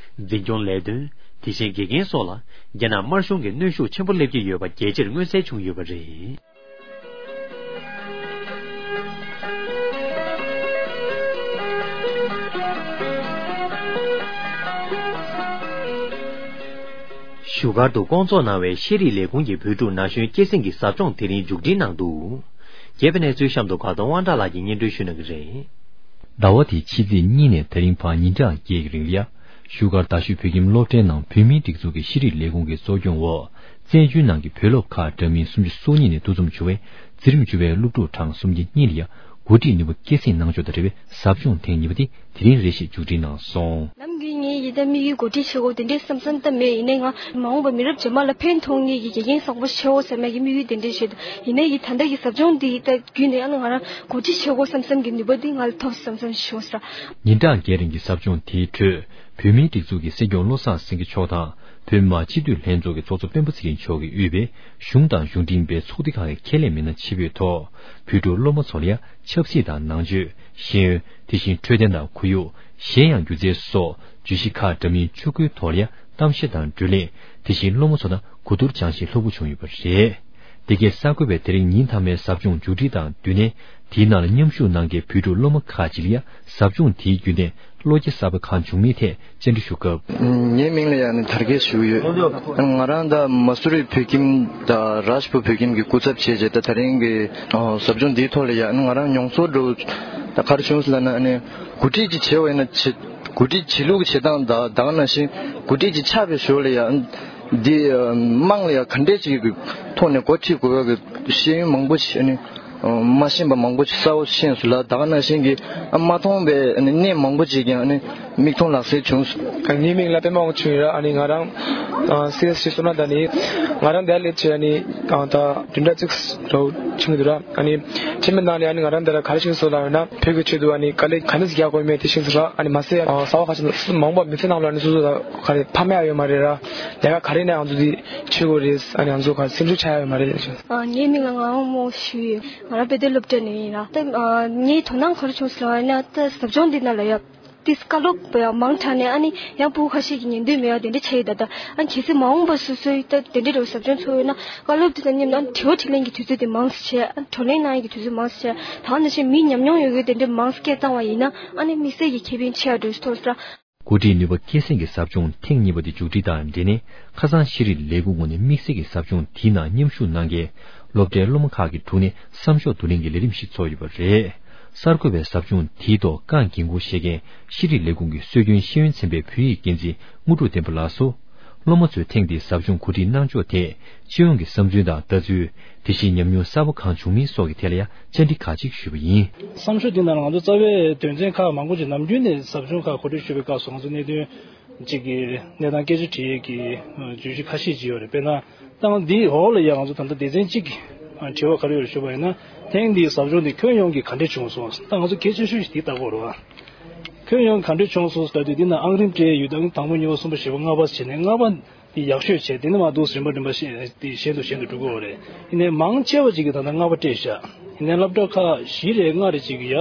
འཛིན་སྐྱོང་ལས་དོན། དེ་བཞིན་དགེ་རྒན་སོགས་ལ་རྒྱ་ནག་དམར་གཞུང་གིས་གནོན་ཤུགས་ཆེན་པོ་སླེབས་ཀྱི་ཡོད་པ་རྒྱལ་སྤྱིར་མངོན་གསལ་བྱུང་ཡོད་པ་རེད། བཞུགས་སྒར་དུ་བསྐོང་ཚོགས་གནང་བའི་ཤེས་རིག་ལས་ཁུངས་ཀྱི་བོད་ཕྲུག་ན་གཞོན་སྐྱེད་སྲིང་གི་ཟབ་སྦྱོང་དེ་རིང་མཇུག་སྒྲིལ་གནང་འདུག་རྒྱས་པའི་གནས་ཚུལ་གཤམ་དུ་དགའ་གདོང་དབང་གྲགས་ལགས་ཀྱིས་སྙན་སྒྲོན་ཞུ་གནང་གི་རེད། ཟླ་བ་འདིའི་ཕྱི་ཚེས་གཉིས་ནས་དེ་རིང་བར་ཉིན་གྲངས་བརྒྱད་ཀྱི་རིང་ལ། བཞུགས་སྒར་རྡ་ཤོད་བོད་ཁྱིམ་སློབ་གྲྭའི་ནང་བོད་མིའི་སྒྲིག་འཛུགས་ཀྱི་ཤེས་རིག་ལས་ཁུངས་ཀྱི་གཙོ་སྐྱོང་འོག་བཙན་བྱོལ་ནང་གི་བོད་སློབ་ཁག་འདྲ་མིན་སུམ་ཅུ་སོ་གཉིས་ནས་འདུ་འཛོམས་བྱུང་བའི་འཛིན་རིམ་བཅུ་པའི་སློབ་ཕྲུག་གྲངས་སུམ་བརྒྱ་གཉིས་ལ་ཡང་འགོ་ཁྲིད་ནུས་པ་སྐྱེད་སྲིང་གནང་ཕྱོགས་དང་འབྲེལ་བའི་ཟབ་སྦྱོང་ཐེངས་གཉིས་པ་དེ་དེ་རིང་རེ་ཞིག་མཇུག་སྒྲིལ་གནང་སོང་། ནམ་རྒྱུན་ངས་ཡི་ད་དམིགས་ཡུལ་འགོ་ཁྲིད་བྱེད་དགོས་དེ་འདྲའི་བསམ་བསམ་ད་མེད། ཡིན་ནའི་ང་མ་འོངས་པ་མི་རབས་རྗེས་མ་ལ་ཕན་ཐོགས་ངེས་ཀྱི་དགེ་རྒན་བཟང་པོ་ཞིག་ཆགས་འོ་ཟེར་ནས་ཀྱི་དམིགས་ཡུལ་དེ་འདྲའི་བྱེད་དུ། ཡིན་ནའི་ཡི་ད་ལྟ་གི་ཟབ་སྦྱོང་འདི་ཡི་ད་བརྒྱུད་ནས་ཨ་ནི་ང་རང་འགོ་ཁྲིད་བྱེད་དགོས་བསམ་བསམ་གྱི་ནུས་པ་འདི་ང་ལ་ཐོབ་བསམ་བསམ་ཞིག་བྱུང་ཟེར། ཉིན་གྲངས་བརྒྱད་རིང་གི་ཟབ་སྦྱོང་དེའི་ཁྲོད་བོད་མིའི་སྒྲིག་འཛུགས་ཀྱི་སྲིད་སྐྱོང་བློ་བཟང་སེང་གེ་མཆོག་དང་། བོད་མི་མང་སྤྱི་འཐུས་ལྷན་ཚོགས་ཀྱི་ཚོགས་གཙོ་སྤེན་པ་ཚེ་རིང་མཆོག་གིས་དབུས་པའི་གཞུང་དང་གཞུང་འབྲེལ་མིན་པའི་ཚོགས་སྡེ་ཁག་གི་ཁས་ལེན་མི་སྣ་ཆེད་ཕེབས་ཐོག་བོད་ཕྲུག་སློབ་མ་ཚོ་ལ་ཡང་ཆབ་སྲིད་དང་ནང་ཆོས། ཤེས་ཡོན། དེ་བཞིན་འཕྲོད་བསྟེན་དང་ཁོར་ཡུག་གཞན་ཡང་སྒྱུ་རྩལ་སོགས་བརྗོད་གཞི་ཁག་འདྲ་མིན་ཆུ་བགོའི་ཐོག་ལ་ཡང་གཏམ་བཤད་དང་བགྲོ་གླེང་། དེ་བཞིན་སློབ་མ་ཚོ་དང་གོ་བསྡུར་སྦྱང་ཞིང་སློབ་ཁུར་བྱུང་ཡོད་པ་རེད། འདི་གའི་གསར་འགོད་པས་དེ་རིང་ཉིན་མཐའ་མའི་ཟབ་སྦྱོང་མཇུག་སྒྲིལ་དང་བསྟུན་ནས་དེའི་ནང་ལ་མཉམ་ཞུགས་གནང་མཁན་བོད་ཕྲུག་སློབ་མ་ཁག་ཅིག་ལ་ཡང་ཟབ་སྦྱོང་དེའི་བརྒྱུད་ནས། བློ་སྐྱེད་གསར་པ་གང་བྱུང་མིན་ཐད་བཅར་འདྲི་ཞུ་སྐབས། ངའི་མིང་ལ་ཡང་ནི་དར་རྒྱས་ཞུ་གི་ཡོད། ང་རང་ད་མ་སུ་རི་བོད་ཁྱིམ་དང་རཱཇ་པུར་བོད་ཁྱིམ་གྱི་སྐུ་ཚབ་བྱས་རྗེས་ད་ད་རིང་གི་ཟབ་སྦྱོང་འདིའི་ཐོག་ལ་ཡང་ང་རང་མྱོང་ཚོར་འགྲོ་ད་ག་རེ་བྱུང་ཟེར་ལབ་ན་ནི་འགོ་ཁྲིད་ཅིག་བྱས་པ་ཡིན་ན་བྱེད་འགོ་ཁྲིད་བྱེད་ལུགས་ཀྱི་བྱེད་སྟངས་ད་ད་ག་ནང་བཞིན་འགོ་ཁྲིད་ཅིག་ཆགས་པའི་ཞོར་ལ་ཡང་འདི་དམངས་ལ་ཡང་ག་འདྲས་ཅིག་གི་ཐོག་ནས་འགོ་ཁྲིད་དགོས་ཡག་གི་ཤེས་ཡོན་མང་པོ་ཞིག་ནི། མ་ཤེས་པ་མང་པོ་ཅིག་གསལ་བོ་ཤེས་སོང་ལ། ད་ག་ནང་བཞིན་གྱི་མ་མཐོང་པའི་གནས་མང་པོ་ཅིག་ཀྱང་མིག་མཐོང་ལག་ཟིན་བྱུང་སོང་། ངའི་མིང་ལ་པད་མ་དབང་ཆེན་ཡིན་ར། ཨ་ནི་ང་རང་སི་ཨེས་ཤི་སོ་ན་ད་ནི་ང་རང་འདིར་སླེབས་བྱས་ཨ་ནི་ད་བདུན་ཕྲག་གཅིག་ལོ་ཕྱིན་འདུག་ར། ཨ་ནི་ཕྱིན་པའི་ནང་ནས་ཨ་ནི་ང་རང་འདི་ལ་ག་རེ་ཤེས་སོང་ལབ་ན། བོད་ཀྱི་ཆེད་དུ་ཨ་ནི་དཀའ་ལས་ག་འདྲ་ཞིག་རྒྱག་དགོས་མེད་དེ་ཤེས་སོང་ར། ཨ་ནི་མ་ཟད་གསར་པ་ཁ་ཤས་མང་པོ་མི་ཚེ་ནང་ལ་ཨ་ནི་སོ་སོ་ལ་ག་རེ་ཕ་མ་ཡང་ཡོད་མ་རེད་ར། ལས་ཀ་ག་རེ་ནས་ང་ཚོ་འདི་བྱེད་དགོས་རེད། ཨ་ནི་ང་ཚོ་ག་སེམས་ཤུགས་ཆག་ཡ་ཡོད་མ་རེད་ལབ་བྱུང་། ངའི་མིང་ལ་ངག་དབང་མོ་ཞུ་ཡོད། ང་རང་དཔེ་སྟོན་སློབ་གྲྭ་ནས་ཡིན་ར། ད་ངའི་དོ་སྣང་ག་རེ་བྱུང་སོང་ལབ་ན། ད་ཟབ་སྦྱོང་འདི་ནང་ལ་ཡ་ཏིས་བཀའ་སློབ་ཡ་མང་དྲགས་ནས་ཨ་ནི་ཡང་ཕྲུ་གུ་ཁ་ཤས་ཀྱིས་ཉན་འདོད་མེད་པ་དེ་འདྲ་བྱས་ཡོད། ད་ད་ཨ་ནི་གལ་སྲིད་མ་འོངས་པར་སོ་སོའི་ད་དེ་འདྲ་རུ་ཟབ་སྦྱོང་ཚོགས་ཡོད་ན། བཀའ་སློབ་དེ་དང་མཉམ་དུ་ཨ་ནི་དྲི་བ་དྲིས་ལན་གྱི་དུས་ཚོད་དེ་མང་ཙམ་བྱས། ཨ་ནི་བགྲོ་གླེང་གནང་ཡས་ཀྱི་དུས་ཚོད་མང་ཙམ་བྱས། ད་ག་ནང་བཞིན་མི་ཉམས་མྱོང་ཡོད་མཁན་དེ་འདྲ་མང་ཙམ་སྐད་བཏང་བ་ཡིན་ན་ཨ་ནི་དམིགས་བསལ་གྱི་ཁེ་ཕན་ཆེ་བ་འདྲ་ཞིག་ཐོབ་སྲིད་ར། འགོ་ཁྲིད་ནུས་པ་སྐྱེད་སྲིང་གི་ཟབ་སྦྱོང་ཐེངས་གཉིས་པ་དེ་མཇུག་སྒྲིལ་དང་འབྲེལ་ནས། ཁ་སང་ཤེས་རིག་ལས་ཁུངས་ངོས་ནས་དམིགས་བསལ་གྱི་ཟབ་སྦྱོང་དེའི་ནང་མཉམ་ཞུགས་གནང་མཁན་སློབ་གྲྭའི་སློབ་མ་ཁག་གི་དྲུང་ནས་བསམ་ཤོག་བསྡུ་ལེན་གྱི་ལས་རིམ་ཞིག་ཚོགས་ཡོད་པ་རེད། གསར་འགོད་པས་ཟབ་སྦྱོང་དེའི་ཐོག་བཀའ་འགན་འཁུར་བཞེས་མཁན་ཤེས་རིག་ལས་ཁུངས་ཀྱི་སྲོལ་རྒྱུན་ཤེས་ཡོན་ཚན་པའི་བོད་ཡིག་འགན་འཛིན་དངོས་གྲུབ་བསྟན་པ་ལགས་སུ། སློབ་མ་ཚོས་ཐེངས་འདིའི་ཟབ་སྦྱོང་གོ་སྒྲིག་གནང་ཕྱོགས་ཐད། སྤྱི་ཡོངས་ཀྱི་བསམ་ཚུལ་དང་ལྟ་ཚུལ། དེ་བཞིན་ཉམས་མྱོང་གསར་པ་གང་བྱུང་མིན་སོགས་ཀྱི་ཐད་ལ་ཡང་བཅར་འདྲི་ཁག་ཅིག་ཞུས་པ་ཡིན། བསམ་ཤོག་འདི་ནང་ལ་ང་ཚོ་རྩ་བའི་དོན་ཚན་ཁག་མང་པོ་ཅིག་ནམ་རྒྱུན་ནས་ཟབ་སྦྱོང་ཁག་གོ་སྒྲིག་ཞུ་བའི་སྐབས་སུ་ང་ཚོ་གནད་དོན་གཅིག་གི་གནས་སྟངས་སྐད་ཆ་དྲི་ཡས་ཀྱི་བརྗོད་གཞི་ཁ་ཤས་ཅིག་ཡོད་རེད། དཔེར་ན་ད་ང་འདིའི་འོག་ལ་ཡང་ང་ཚོ་ད་ལྟ་སྡེ་ཚན་གཅིག་གི་དྲི་བ་ག་རེ་ཡོད་རེད་ཞུས་པ་ཡིན་ན། ཐེངས་འདིའི་ཟབ་སྦྱོང་འདི་ཁྱོན་ཡོངས་ཀྱི་ག་འདྲས་བྱུང་སོང་། ད་ང་ཚོ་གལ་ཆེ་ཤོས་ཤིག་འདི་ལྟ་དགོས་རེད་བ། ཁྱོན་ཡོངས་ག་འདྲས་བྱུང་སོང་ཟེར་དུས་འདི་ན་ཨང་རིམ་སྤྲད་ཡོད། ཨང་དང་པོ་གཉིས་པ་གསུམ་པ་བཞི་པ་ལྔ་པ་བྱས་ནས་ལྔ་པ། དེ་ཡག་ཤོས་བྱས་དེ་ནས་མར་འདུག་རིམ་པ་རིམ་པ་བཞིན་དུ་བཞིན་དུ་འགྲོ་གི་ཡོད་རེད། ཡིན་ནའི་མང་ཆེ་བ་ཅིག་གིས་ད་ལྟ་ལྔ་པ་སྤྲད་བཞག་ཡིན་ནའི་སློབ་གྲྭ་ཁག་བཞི་རེ་ལྔ་རེ་ཅིག་གིས་ཡ་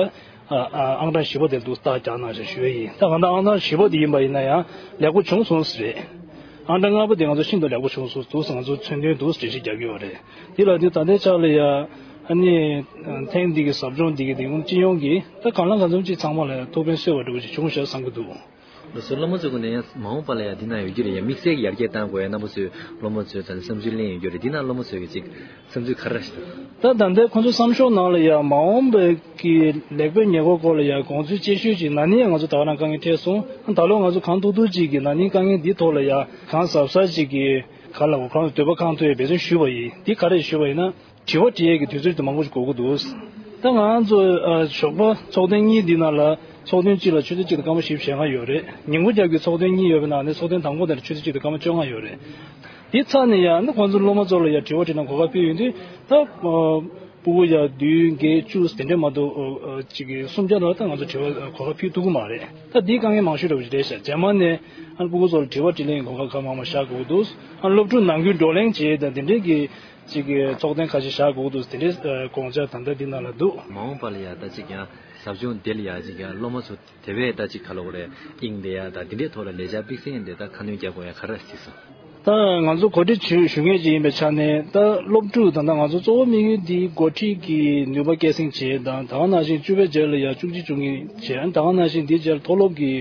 ཨ་ཨ་ཨང་གྲངས་བཞི་པ་དེར་འདུག་རྟགས་རྒྱག་གནང་ཞེས་ཞུ་ཡས་ཡིན། ད་གང་ལྟར་ཨང་གྲངས་བཞི་པ་དེ་ཡིན་པ་ཡིན་ན་ཡང་ལེགས་པོ་བྱུང་སོང་ཟེར་རེད། ཨང་གྲངས་ལྔ་པ་དེ་ང་ཚོ་ཤིན་ཏུ་ལེགས་པོ་བྱུང་སོང་འདུག་ང་ཚོ་མཚོན་དོན་འདུག་འགྲེལ་བཤད་རྒྱག་གི་ཡོད་རེད། དེ་ལ་ནི་ད་ལྟའི་ཆར་ལ་ཡ་ཨ་ནི་ཐེངས་འདི་གི་ཟབ་སྦྱོང་འདི་གི་དེ་སྤྱི་ཡོངས་ཀྱི་ད་གང་ལ་གང་འཚམ་ཅིག་ཚང་མ་ལ་ཐུགས་ཕན་གསོས་པ་འདྲ་བོ་ཅིག་བྱུང་ཤག་བསམ་གྱི་འདུག་ལགས་སོ། སློབ་མ་ཚོའི་ངོས་ནས་ཡང་མ་འོངས་པ་ལ་ཡང་འདི་ན་ཡོད་རྒྱུ་རེད། ཡང་དམིགས་བསལ་གྱི་ཡར་རྒྱས་གཏང་དགོས་ཡ་རྣམ་པ་ཚོས་སློབ་མ་ཚོས་ད་ལྟ་བསམ་ཚུལ་གླེང་ཡོད་རྒྱུ་རེད། འདི་ན་སློབ་མ་ཚོས་ཀྱི་ཅིག་བསམ་ཚུལ་ག་རེ་ཞིག་དང་། ད་ད་ལྟའི་ཁོང་ཚོའི་བསམ་ཤོག་ནང་ལ་ཡང་མ་འོངས་པའི་གི་ལེགས་སྤེལ་ཉེས་འགོག་སྐོར་ལ་ཡང་དགོངས་ཚུལ་དཔྱད་ཞིབ་ཅིག་ན་ནིང་ང་ཚོ་ད་ག་རང་དཀའ་ངལ་འཕྲད་སོང་། ད་ལོ་ང་ཚོ་གང་ཐུབ་ཐུབ་ཅིག་གི་ན་ནིང་དཀའ་ངལ་འདི་ཐོག་ལ་ཡང་གང་གཟབ་གཟབ་ཅིག་གི་ག་ལ་གོ་གང་འདོད་པ་གང་ཐུབ་ཡ་འབད་བརྩོན་ཞུས་པ་ཡིན། འདི་ག་རེ་ཞུས་པ་ཡིན་ན། དྲི་བ་དྲི་ཡས་ཀྱི་དུས་ཚོད་དེ་མང་པོ་ཞིག་འགོར་གྱི་འདུག་ད་ང་ཚོ་ཨ་ཞོགས་པ་ཚོགས་ཐེངས་གཉིས་འདི་ནང་ལ་ཚོགས་ཐེངས་གཅིག་ལ་ཆུ་ཚོད་གཅིག་དང་སྐར་མ་བཞི་བཅུ་ཞེ་ལྔ་ཡོད་རེད། ཉིན་གུང་རྒྱབ་ཀྱི་ཚོགས་ཐེངས་གཉིས་ཡོད་པའི་ནང་ནས་ཚོགས་ཐེངས་དང་པོ་དེར་ཆུ་ཚོད་གཅིག་དང་སྐར་མ་བཅོ་ལྔ་ཡོད་རེད། དེ་ཚར་ནས་ཡང་ནི་ཁོང་ཚོ་སློབ་མ་ཚོ་ལ་ཡང་དྲི་བ་དྲིས་ན་གོ་སྐབས་ཕུལ་ཡོང་དུས་ད་ཨ་སྤུ་གུ་ཡ་བདུན་བརྒྱད་བཅུ་དེ་འདྲས་མ་གཏོགས་ཨ་ཅིག་གི་སུམ་བརྒྱ་ལ་ད་ང་ཚོ་དྲི་བ་གོ་སྐབས་ཕུལ་ཐུབ་ཀྱི་མ་རེད། ད་འདི་དཀའ་ངལ་མང་ཤོས་འདྲ་བོ་ཞིག་རེད་ཤག་རྗེས་མ་ནས་ཨ་སྤུ་གུ་ཚོ་ལ་དྲི་བ་དྲིས་ལན་གྱི་གོ་སྐབས་གང་མང་མང་བཞག་དགོས་ཀྱི་འདུག་ཨ་སློབ་ཕྲུག་ནང་ཁུལ་བགྲོ་གླེང་བྱས་དང་དེ་འདྲས་ཀྱི་གཅིག་གི་ཚོགས་ཐེངས་ཁ་ཤས་བཞག་དགོས་འདུག་དེ་འདྲའི་ཨ་དགོངས་འཆར་ད་ལྟ་འདི་ནང་ལ་འདུག་མ་འོངས་པ་ལ་ཡ་ད་ཅིག་ཡང་ཟབ་སྦྱོང་འདི་ལ་ཡ་ཅིག་ཡང་སློབ་མ་ཚོ་དེ་བས་ད་ཅིག་ག་ལ་གོ་རེ་དབྱིངས་ལྡན་ཡ་ད་འདི་འདྲའི་ཐོག་ལ་ལས་འཆར་དམིགས་བསལ་འདི་ད་ཁ་སྣོན་རྒྱག་དགོས་ཡ་ག་རེ་ཅིག་སོང་། ད་ང་ཚོ་གོ་སྒྲིག་ཞུ་ཞུ་མཁན་ཅིག་ཡིན་པའི་ཆ་ནས་ད་སློབ་ཕྲུག་ད་ལྟ་ང་ཚོ་གཙོ་བོ་དམིགས་ཡུལ་འདི་འགོ་ཁྲིད་ཀྱི་ནུས་པ་སྐྱེད་སྲིང་བྱེད་དང་ད་ག་ནང་བཞིན་བཅུ་པའི་རྗེས་ལ་ཡ་བཅུ་གཅིག་བཅུ་གཉིས་བྱེད་ད་ག་ནང་བཞིན་འདིའི་རྗེས་ལ་མཐོ་སློབ་ཀྱི་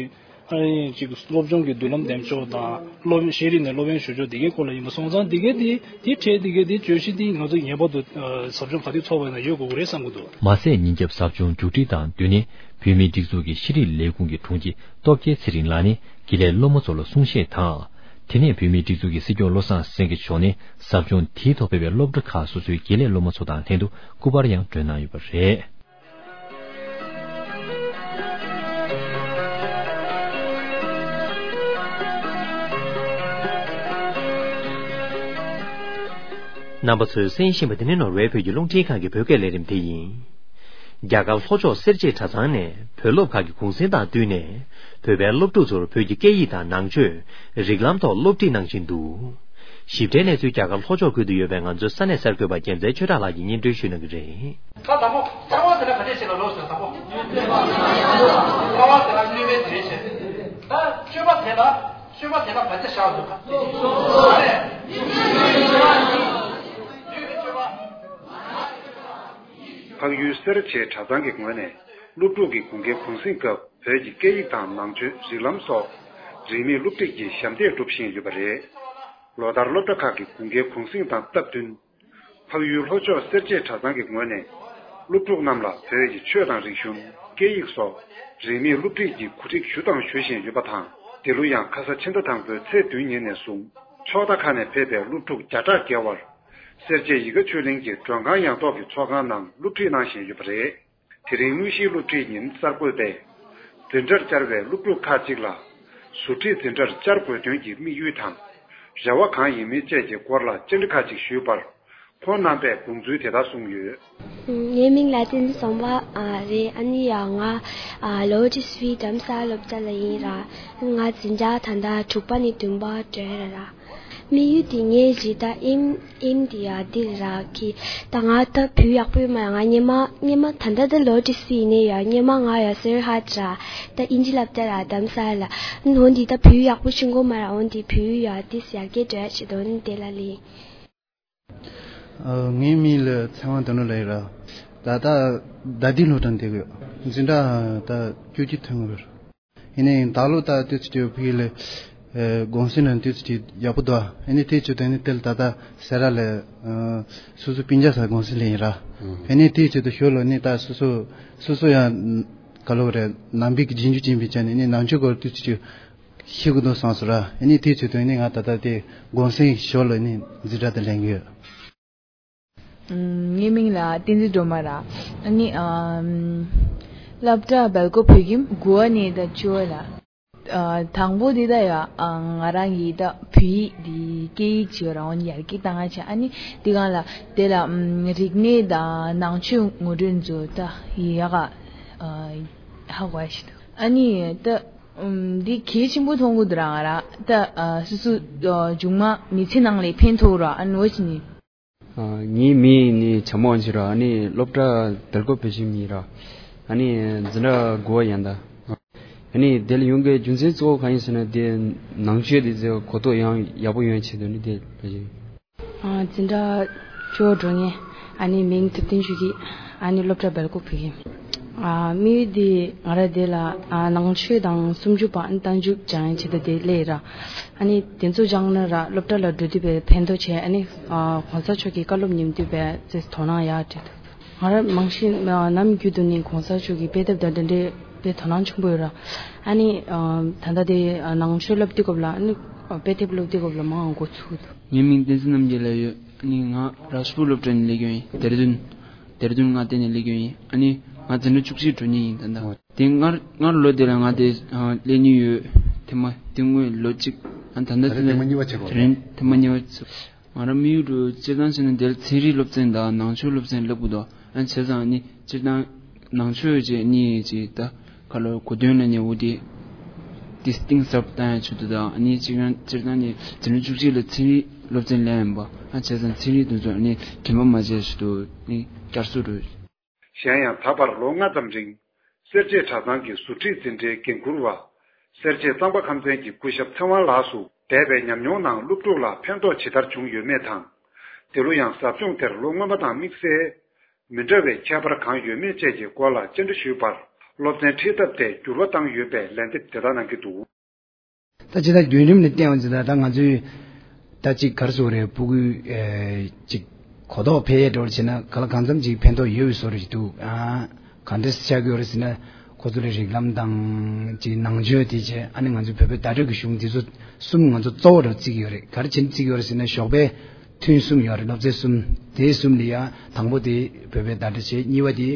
ཨ་ནི་ཅིག་སློབ་སྦྱོང་གི་མདུན་ལམ་འདེམས་ཕྱོགས་དང་སློབ་ཤེས་རིག་ནས་སློབ་ཡོན་ཞུ་ཕྱོགས་འདི་གའི་སྐོར་ལ་ཡིན་པ་སོང་ཙང་འདི་གའི་འདི་འདི་ཁྲལ་འདི་གའི་འདི་བརྗོད་གཞི་འདི་ང་ཚོ་ངེས་པར་དུ་ཨ་ཟབ་སྦྱོང་ག་དུས་ཚོགས་པ་ཡིན་ན་ཡོད་དགོས་ཀྱི་རེད་བསམ་གྱི་འདུག་མ་ཟད་ཉིན་རྒྱབ་ཟབ་སྦྱོང་མཇུག་སྒྲིལ་དང་བསྟུན་ནས་བོད་མིའི་སྒྲིག་འཛུགས་ཀྱི་ཤེས་རིག་ལས་ཁུངས་ཀྱི་དྲུང་ཆེ་སྟོབས་རྒྱལ་ཚེ་རིང་ལགས་ནས་དགེ་ལས་སློབ་མ་ཚོ་ལ་གསུང་བཤད་དང་། དེ་ནས་བོད་མིའི་སྒྲིག་འཛུགས་ཀྱི་སྲིད་སྐྱོང་བློ་བཟང་སེང་གེ་མཆོག་ནས་ཟབ་སྦྱོང་དེའི་ཐོག་ཕེབས་པའི་སློབ་གྲྭ་ཁག་སོ་སོའི་དགེ་ལས་སློབ་མ་ཚོ་དང་ལྷན་དུ་སྐུ་པར་ཡང་སྒྲོན་གནང་ཡོད་པ་རེད། རྣམ་པ་ཚོས་གསན་བཞིན་པ་འདི་ནི་ནོར་ཝེ་བོད་ཀྱི་རླུང་འཕྲིན་ཁང་གི་བོད་སྐད་ལས་རིམ་དེ་ཡིན། རྒྱ་གར་ལྷོ་ཕྱོགས་སེར་བྱེས་གྲྭ་ཚང་ནས་བོད་སློབ་ཁག་གི་གུང་སེང་དང་བསྟུན་ནས་བོད་པའི་སློབ་ཕྲུག་ཚོར་བོད་ཀྱི་སྐད་ཡིག་དང་ནང་ཆོས། རིགས་ལམ་ཐོག་སློབ་ཁྲིད་གནང་བཞིན་འདུག་ཞིབ་ཕྲའི་གནས་ཚུལ་རྒྱ་གར་ལྷོ་ཕྱོགས་ཁུལ་དུ་ཡོད་པའི་ང་ཚོའི་ས་གནས་གསར་འགོད་པ་རྒྱལ་མཚན་ཆོས་གྲགས་ལགས་ཀྱིས་སྙན་སྒྲོན་ཞུ་གནང་གི་རེད། ད་དང་པོ་ལྟ་བ་ཟེར་ན་ག་འདྲས་ཞིག་ལ་ལོག་ཟེར་དང་པོ། ལྟ་བ་ཟེར་ན་བསླུ་བའི་དེ་བྱས། ད་སྤྱོད་པ་དེ་ལ་སྤྱོད་པ་དེ་ལ་བར་ཆད་བཞག་འདུག་ག་ལུས་ཀྱི་སྤྱོད་པ། འཕགས་ཡུལ་སེར་བྱེས་གྲྭ་ཚང་གི་ངོས་ནས་སློབ་ཕྲུག་གི་དགུན་ཁའི་གུང་གསེང་སྐབས་བོད་ཀྱི་སྐད་ཡིག་དང་ནང་ཆོས་རིགས་ལམ་སོགས་རིན་མེད་སློབ་ཁྲིད་ཀྱི་ཞབས་འདེགས་སྒྲུབ་བཞིན་ཡོད་པ་རེད། ལོ་ལྟར་སློབ་གྲྭ་ཁག་གི་དགུན་ཁའི་གུང་གསེང་དང་སྟབས་བསྟུན། འཕགས་ཡུལ་ལྷོ་ཕྱོགས་སེར་བྱེས་གྲྭ་ཚང་གི་ངོས་ནས་སློབ་ཕྲུག་རྣམས་ལ་བོད་ཀྱི་ཆོས་དང་རིག་གཞུང་། སྐད་ཡིག་སོགས་རིན་མེད་སློབ་ཁྲིད་ཀྱི་གོ་སྒྲིག་ཞུ་དང་ཞུ་བཞིན་ཡོད་པ་དང་། འདི་ལོ་ཡང་ཁ་ས་ཕྱི་ཟླ་དང་པོའི་ཚེས་བདུན་ཉིན་ནས་བཟུང་ཕྱོགས་མཐའ་ཁག་ནས་ཕེབས་པའི་སློབ་ཕྲུག་བརྒྱ་ཕྲག་བརྒལ་བར། སེར་བྱེས་ཡིད་དགའ་ཆོས་གླིང་གི་མགྲོན་ཁང་ཡང་ཐོག་གི་ཚོགས་ཁང་ནང་སློབ་ཁྲིད་གནང་བཞིན་ཡོད་པ་རེད། དེ་རིང་དངོས་གཞིའི་སློབ་ཁྲིད་ཉིན་གསར་འགོད་པས་འཛིན་གྲྭར་བཅར་བའི་སློབ་ཕྲུག་ཁག་ཅིག་ལ་ཟུར་ཁྲིད་འཛིན་གྲྭར་བཅར་དགོས་དོན་གྱི་དམིགས་ཡུལ་དང་། རེ་བ་གང་ཡིན་མིན་བཅས་ཀྱི་སྐོར་ལ་བཅར་འདྲི་ཁག་ཅིག་ཞུས་པར། ཁོང་རྣམ་པས་དགོངས་ཚུལ་དེ་ལྟར་གསུངས་ཡོད། ངའི་མིང་ལ་བསྟན་འཛིན་བཟང་པོ་ཨ་རེད། ཨ་ནི་ཡང་ང་ཨ་ལོ་ཊི་སི་བི་འགྲམ་ས་སློབ་གྲྭ་ལ་ཡིན་ར། ང་འཛིན་གྲྭ་ད་ལྟ་དྲུག་པ་ནས་བདུན་པ་བགྲོད་ར་ར། དམིགས་ཡུལ་དེ་ངའི་རེད་ད། ཨེམ་ཨེམ་དེ་ཡ་དེ་ར་གི་ད་ང་ད་བོད་ཡག་པོ་ཡོད་མ་ར། ང་སྔོན་མ་སྔོན་མ་ད་ལྟ་ད་ལོ་ཊི་སི་བི་ཡིན་ནའི་ཡ་སྔོན་མ་ང་ཡ་སོར་ཧ་ད་ར་ད་ཨིན་ཇི་སློབ་གྲྭ་ར་འགྲམ་ས་ལ་ནོ་འདི་ད་བོད་ཡག་པོ་ཤེས་གོ་མ་ར། འོན་ཏེ་བོད་ཡ་དེ་ཡར་རྒྱས་འགྲོ་ཡ་ཆེད་དོན་དེ་ལ་ལས། ཨ། ངའི་མིང་ལ་ཚེ་དབང་དོན་གྲུབ་ལབ་ཡོད་ར། ད་ལྟ་ད་ལྟའི་སློབ་གྲྭར་བསྡད་ཀྱི་ཡོད། འཛིན་གྲྭ་ད་བཅུ་གཅིག་ཐོན་གྱི་ཡོད་ར། ཡིན་ནའི་ད་ལོ་ད་ཏོག་ཙམ་ཕ་གི་ལ་ཨ་གུང་སེང་ལ་ཏོག་ཙམ་ཡག་པོ་འདུག་ཨ་ནི་དེ་བྱས་ཙང་ནི་དེ་ལ་ད་ལྟ་སེ་ར་ལ་ཨ་སོ་སོ་སྤུན་ཀྱག་ཚོ་གུང་སེང་ལ་ཡིན་ར། ཨ་ནི་དེ་བྱས་ཙང་ཞོར་ལ་ནི་ད་སོ་སོ་སོ་སོ་ཡང་ག་ལབ་དགོས་རེད། ནང་པའི་གི་རྗེས་འཇུག་ཅན་པའི་ཆ་ནས་ནི་ནང་ཆོས་སྐོར་ཏོག་ཙམ་ཤེས་དགོས་འདུག་བསམ་སོང་ར། ཨ་ནི་དེ་བྱས་ཙང་ནི་ང་ད་ལྟ་དེ་གུང་སེང་ཞོར་ལ་ནི་འཛིན་གྲྭ་དེ་ལེན་གྱི་ཡོད། ཨམ། ངའི་མིང་ལ་བསྟན་འཛིན་སྒྲོལ་མ་ར། ཨ་ནི་ཨམ། སློབ་གྲྭ་སྦེལ་ཀོབ་བོད་ཁྱིམ་དགུ་བ་ནས་ད་བཅུ་བ་ལ། ཨ། དང་པོ་འདི་ད་ཡ་ཨ་ང་རང་གི་ད་བོད་ཡིག་འདི་སྐད་ཡིག་བྱས་རང་ཡར་རྒྱས་བཏང་ཡ་བྱས། ཨ་ནི་འདི་སྒང་ལ་དེ་ལ་ཨམ། རིག་གནས་དང་ནང་ཆོས་ངོ་སྤྲོད་ཚོ་ད་ཡག་ག་ཨ་ཧ་གོ་ཡ་ཞིག་འདུག་ཨ་ནི་ད་ཨམ། འདི་གལ་ཆེན་པོ་མཐོང་གི་འདུག་ར། ང་རང་ད་ཨ་སོ་སོ་ཨ་མཇུག་མ་མི་ཚེ་ནང་ལ་ཕན་ཐོགས་ར། ཨ་ནི་འོ་ཅི་ནི། ཨ། ངའི་མིང་ནི་བྱམས་པ་དབང་ཆེན་ར། ཨ་ནི་སློབ་གྲྭ་སྦེལ་ཀོབ་བོད་ཁྱིམ་ཡིན་ར། ཨ་ནི་འཛིན་གྲྭ་དགུ་བ་ཡིན་ད། ཨ་ནི་དེ་ལ་ཡོང་གི་རྒྱུ་མཚན་གཙོ་བོ་གང་ཡིན་ཟེར་ན་དེ་ནང་ཆོས་དེ་ཚོ་གོ་རྟོགས་ཡང་ཡག་པོ་ཡོང་ཆེད་དུ་ནི་དེ་ལ་ཡིན། ཨ། འཛིན་གྲྭ་བཅུ་པ་འགྲོ་མཁན། ཨ་ནི་མིང་ཐུབ་བསྟན་ཆོས་སྐྱིད། ཨ་ནི་སློབ་གྲྭ་སྦེལ་ཀོབ་བོད་ཁྱིམ། ཨ། དམིགས་ཡུལ་དེ་ང་རང་དེ་ལ་ཨ་ནང་ཆོས་དང་སུམ་ཅུ་པ་རྟགས་འཇུག་སྦྱང་ཡ་ཆེད་དུ་དེ་སླེབས་ར། ཨ་ནི་དེ་ཚོ་སྦྱངས་ན་ར་སློབ་གྲྭ་ལ་འགྲོ་དུས་པའི་ཕན་ཐོགས་ཆེ། ཨ་ནི་ཨ་གོང་ས་མཆོག་གི་བཀའ་སློབ་ཉན་དུས་པའི་ཚེ་དོ་སྣང་ཡག་བྱེད་ཐུབ། ང་རང་མང་ཤོས་ནམ་རྒྱུན་དུ་ནི་གོང་ས་མཆོག་གི་དཔེ་དེབ་དང་འདི་འདྲའི་དཔེ་དོ་སྣང་ཆེན་པོ་ཡོད་ར། ཨ་ནི་ཨ་ད་ལྟ་དེ་ཨ་ནང་ཆོས་སློབ་དུས་སྐབས་ལ་ཨ་ནི་ཨ་དཔེ་དེབ་སློབ་དུས་སྐབས་ལ་མང་འགོ་ཚུགས་འདུག་ངའི་མིང་བསྟན་འཛིན་རྣམ་རྒྱལ་ལབ་ཡོད། ཨ་ནི་ང་རཱཇ་པུར་སློབ་གྲྭ་ནས་སླེབས་ཡོད་ཡིན། དེར་དུན། དེར་དུན་མངའ་སྡེ་ནས་སླེབས་ཡོད་ཡིན། ཨ་ནི་ང་འཛིན་གྲྭ་བཅུ་གཅིག་འགྲོ་མཁན་ཡིན་ད་ལྟ། དེ་སྔར་སྔར་ལོ་དེ་ལ་ང་དེ་སླེབས་མྱོང་ཡོད། དེ་མ་དེ་སྔོན་ལོ་གཅིག་ཨ་ད་ལྟ་དེ་ལ་དེ་རིང་དེ་མ་གཉིས་པ་བྱེད་དགོས་རེད། ང་རང་དམིགས་ཡུལ་དུ་སྤྱིར་བཏང་བྱས་ན་དེར་ཚན་རིག་སློབ་ཚན་དང་ནང་ཆོས་སློབ་ཚན་སླེབས་དགོས་འདུག་ཨ་བྱས་ཙང་ནི་སྤྱིར་བཏང་ནང་ཆོས་བཅས་གཉིས་ཀྱི་ད་ཁ་ལོ་གོ་དོན་ལ་ནི་འོ་དེ་དེ་གཏིང་ཟབ་བཏང་ཡ་ཆེད་དུ་དང་ནི་སྤྱིར་བཏང་སྤྱིར་བཏང་ནི་འཛིན་གྲྭ་བཅུ་གཅིག་ལ་ཚན་རིག་སློབ་ཚན་ལེན་ཡིན་པ། ཨ་བྱས་ཙང་ཚན་རིག་དེ་ཚོ་ནི་དྲན་པ་མ་བརྗེད་ཆེད་དུ་ནི་བསྐྱར་གསོ་རུ། གཞན་ཡང་ད་བར་ལོ་ལྔ་ཙམ་རིང་སེར་བྱེས་གྲྭ་ཚང་གི་ཟུར་ཁྲིད་འཛིན་གྲྭའི་འགན་འཁུར་བ། སེར་བྱེས་གཙང་པ་ཁམས་ཚན་གྱི་སྐུ་ཞབས་ཚེ་དབང་ལགས་སུ་འདས་པའི་ཉམས་མྱོང་ནང་སློབ་ཕྲུག་ལ་ཕན་ཐོགས་ཇི་ལྟར་བྱུང་ཡོད་མེད་དང་། དེ་ལོ་ཡང་ཟབ་སྦྱོང་དེར་ལོ་སྔོན་མ་དང་དམིགས་བསལ་མི་འདྲ་བའི་ཁྱད་པར་གང་ཡོད་མེད་བཅས་ཀྱི་སྐོར་ལ་བཅར་འདྲི་ཞུས་པར། སློབ་ཚན་ཁྲིད་ཐབས་དེ་འགྱུར་བ་བཏང་ཡོད་པའི་ལན་འདེབས་དེ་ལྟར་གནང་གི་འདུག་ད་ཅི་ད་བརྒྱུད་རིམ་ནས་བསྟན་འོང་ཙང་ད་ད་ང་ཚོས་ད་ཅིག་ག་རེ་ཟེར་དགོས་རེད། ཕྲུ་གུ་ཨེ་ཅིག་གོ་རྟོགས་འཕེལ་ཡས་འགྲོ་བྱས་ན་ག་ལ་གང་འཚམ་ཅིག་ཕན་ཐོགས་ཡོད་པའི་བཟོ་འདྲ་ཞིག་འདུག་ཨ་ག་འདྲ་ཆགས་ཀྱི་ཡོད་རེད་ཟེར་ན། ཁོ་ཚོ་ལ་རིགས་ལམ་དང་ཅིག་ནང་ཆོས་དེ་བྱས། ཨ་ནི་ང་ཚོའི་བོད་པའི་བརྡ་སྤྲོད་ཀྱི་གཞུང་དེ་ཚོ་གསུམ་ང་ཚོ་གཙོ་བོ་འདྲ་བརྩི་གི་ཡོད་རེད། ག་རེ་བྱས་ནས་བརྩི་གི་ཡོད་རེད་ཟེར་ན། ཞོགས་པའི་ཐུན་གསུམ་ཡོད་རེད། སློབ་ཚན་གསུམ། དེ་གསུམ་ལ་ཡ་དང་པོ་དེ་བོད་པའི་བརྡ་སྤྲོད་བྱས། གཉིས་པ་དེ་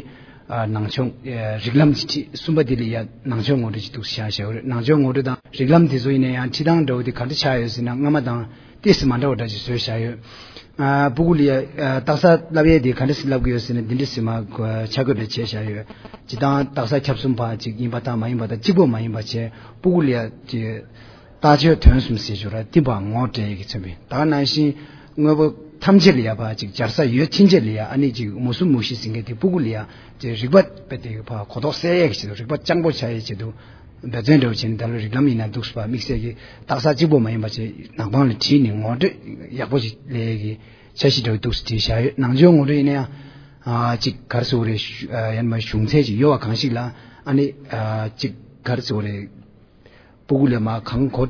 ཨ་ནང་ཆོས་ཨ་རིགས་ལམ་གྱི་ཁྲིད། གསུམ་པ་དེ་ལ་ཡ་ནང་ཆོས་ངོ་སྤྲོད་ཅིག་འདུག་བཞག་བཞག་ཡོད་རེད། ནང་ཆོས་ངོ་སྤྲོད་དང་རིགས་ལམ་དེ་ཚོ་ཡིན་ན་ཡང་ཁྲིད་སྟངས་འདྲ་བོ་དེ་ག་འདྲ་ཆགས་ཡོད་ཟེར་ན། སྔ་མ་དང་ཏོག་ཙམ་མ་འདྲ་བ་འདྲ་ཅིག་བཟོས་བཞག་ཡོད། ཨ་ཕྲུ་གུ་ལ་ཡ་ཨ་རྟགས་གསལ་བསླབ་ཡས་དེ་ག་འདྲ་ཞིག་བསླབ་ཀྱི་ཡོད་ཟེར་ན། འདི་འདྲ་ཞིག་མར་ཆ་བགོས་པ་བྱས་བཞག་ཡོད། སྤྱིར་བཏང་རྟགས་གསལ་ཁྱབ་གསུམ་པ་ཅིག་ཡིན་པ་དང་མ་ཡིན་པ་དང་གཅིག་པོ་མ་ཡིན་པ་བྱས། ཕྲུ་གུ་ལ་ཡ་ཅིག་རྟགས་ཆོས་དོན་གསུམ་ཟེར་ཆོག་ར། འདི་པ་ངོ་སྤྲད་ཀྱི་མཚོན་པའི། ད་ག་ནང་བཞིན་དངོས་པོ་ཐམས་ཅད་ལ་ཡ་ཕར་ཅིག་སྦྱར་ས་ཡོད་ཕྱིན་ཆད་ལ་ཡ། ཨ་ནི་ཅིག་མུ་གསུམ་མུ་བཞི་ཟེར་མཁན་དེ་ཕྲུ་གུ་ལ་ཡ་ཅིག་རིག་པ་དཔེ་དེ་ཕར་གོ་རྟོགས་སད་ཡས་ཀྱི་ཆེད་དུ། རིག་པ་སྤྱང་པོ་ཆགས་ཡས་ཆེད་དུ་འབད་བརྩོན་འདྲ་བོ་བྱས་ནས། ད་ལོ་རིགས་ལམ་ཡིན་ན་འདུག་སེ་ཕར་དམིགས་བསལ་གྱི་རྟགས་གསལ་གཅིག་པོ་མ་ཡིན་པ་བྱས། ནག་པང་ལ་བྲིས་ནས་ངོ་སྤྲོད་ཡག་པོ་ཞིག་སླེབས་ཡས་ཀྱི་འཆར་གཞི་འདྲ་བོ་འདུག་སེ་བྲིས་བཞག་ཡོད། ནང་ཆོས་ངོ་སྤྲོད་ཡིན་ན་ཡང་ཨ་ཅིག་ག་རེ་ཟེར་དགོས་རེད། ཨ་ཡང་མ་གཞུང་ཚད་ཅིག་ཡོད་པ་གང་ཞིག་ལ། ཨ་ནི་ཨ་ཅིག་ག་རེ་ཟེར་དགོས་རེད། ཕྲུ་གུ་ལ་མར་གང་གོ་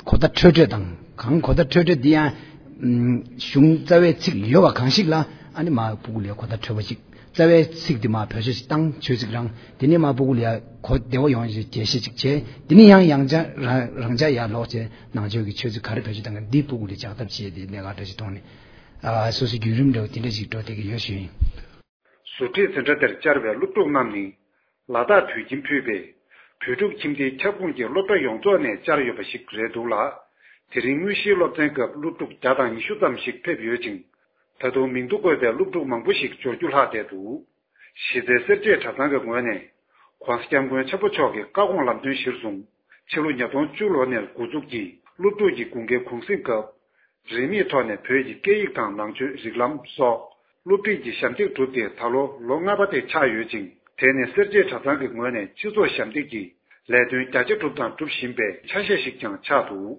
གོ་བརྡ་འཕྲོད་འཕྲོད་དང་། གང་གོ་བརྡ་འཕྲོད་འཕྲོད་འདི་ཡང་ཨམ་གཞུང་རྩ་བའི་ཚིག་ཡོད་པ་གང་ཞིག་ལ། ཨ་ནི་མར་ཕྲུ་གུ་ལ་གོ་བརྡ་འཕྲོད་པ་ཅིག་རྩ་བའི་ཚིག་འདི་མར་བེད་སྤྱོད་ཅིག་བཏང་། ཆོས་ཚིག་རང་། དེ་ནས་མར་ཕྲུ་གུ་ལ་གོ་བདེ་བོ་ཡོང་ཡས་རྒྱས་བཤད་ཅིག་བྱས། དེ་ནས་ཡང་ཡང་བསྐྱར་རང་རང་འཇགས་ཡར་ལོག་བྱས། ནང་ཆོས་ཀྱི་ཆོས་ཚིག་ག་རེ་བེད་སྤྱོད་བཏང་གི་འདི་ཕྲུ་གུ་ལ་ལྕགས་ཐབ་བྱས་ཏེ་གནད་འགག་འདྲ་ཞིག་མཐོང་ནས། ཨ། སོ་སོའི་བརྒྱུད་རིམ་འདྲ་བོ་དེ་འདྲ་ཞིག་འགྲོ་བསྡད་ཀྱི་ཡོད་ཞུ་ཡིན། ཟུར་ཁྲིད་འཛིན་གྲྭ་དེར་བཅར་བའི་སློབ་ཕྲུག་རྣམས་ནི། ལ་དྭགས་བོད་ཁྱིམ་ཕུད་པའི་བོད་ཕྲུག་ཁྱིམ་སྡེའི་ཁྱབ་ཁོངས་ཀྱི་སློབ་གྲྭ་ཡོངས་རྫོགས་ནས་བཅར་ཡོད་པ་ཞིག་རེད་འདུག་ལ། དེ་རིང་དངོས་གཞིའི་སློབ་ཚན་སྐབས་སློབ་ཕྲུག་བརྒྱ་དང་ཉི་ཤུ་ཙམ་ཞིག་ཕེབས་ཡོད་ཅིང་། ད་དུང་མིང་ཐོ་བཀོད་པའི་སློབ་ཕྲུག་མང་པོ་ཞིག་འབྱོར་རྒྱུ་ལྷག་བསྡད་འདུག་གཞི་རྩའི་སེར་བྱེས་གྲྭ་ཚང་གི་ངོས་ནས། ༸གོང་ས་༸སྐྱབས་མགོན་ཆེན་པོ་མཆོག་གི་བཀའ་དགོངས་ལམ་སྟོན་གཞིར་བཟུང་། ཕྱི་ལོ་ཉིས་སྟོང་བཅུ་ལོ་ནས་འགོ་འཛུགས་ཀྱིས་སློབ་ཕྲུག་གི་དགུན་ཁའི་གུང་གསེང་སྐབས། རིན་མེད་ཐོག་ནས་བོད་ཀྱི་སྐད་ཡིག་དང་ནང་ཆོས་རིགས་ལམ་སོགས་སློབ་ཁྲིད་ཀྱི་ཞབས་འདེགས་གྲུབ་སྟེ་ད་ལོ་ལོ་ལྔ་པ་དེ་ཆགས་ཡོད་ཅིང་། དེ་ནི་སེར་བྱེས་གྲྭ་ཚང་གི་ངོས་ནས་སྤྱི་ཚོགས་ཞབས་འདེགས་ཀྱི་ལས་དོན་རྒྱ་ཆེ་གྲུབ་དང་སྒྲུབ་བཞིན་པའི་ཆ་ཤས་ཤིག་ཀྱང་ཆགས་འདུག་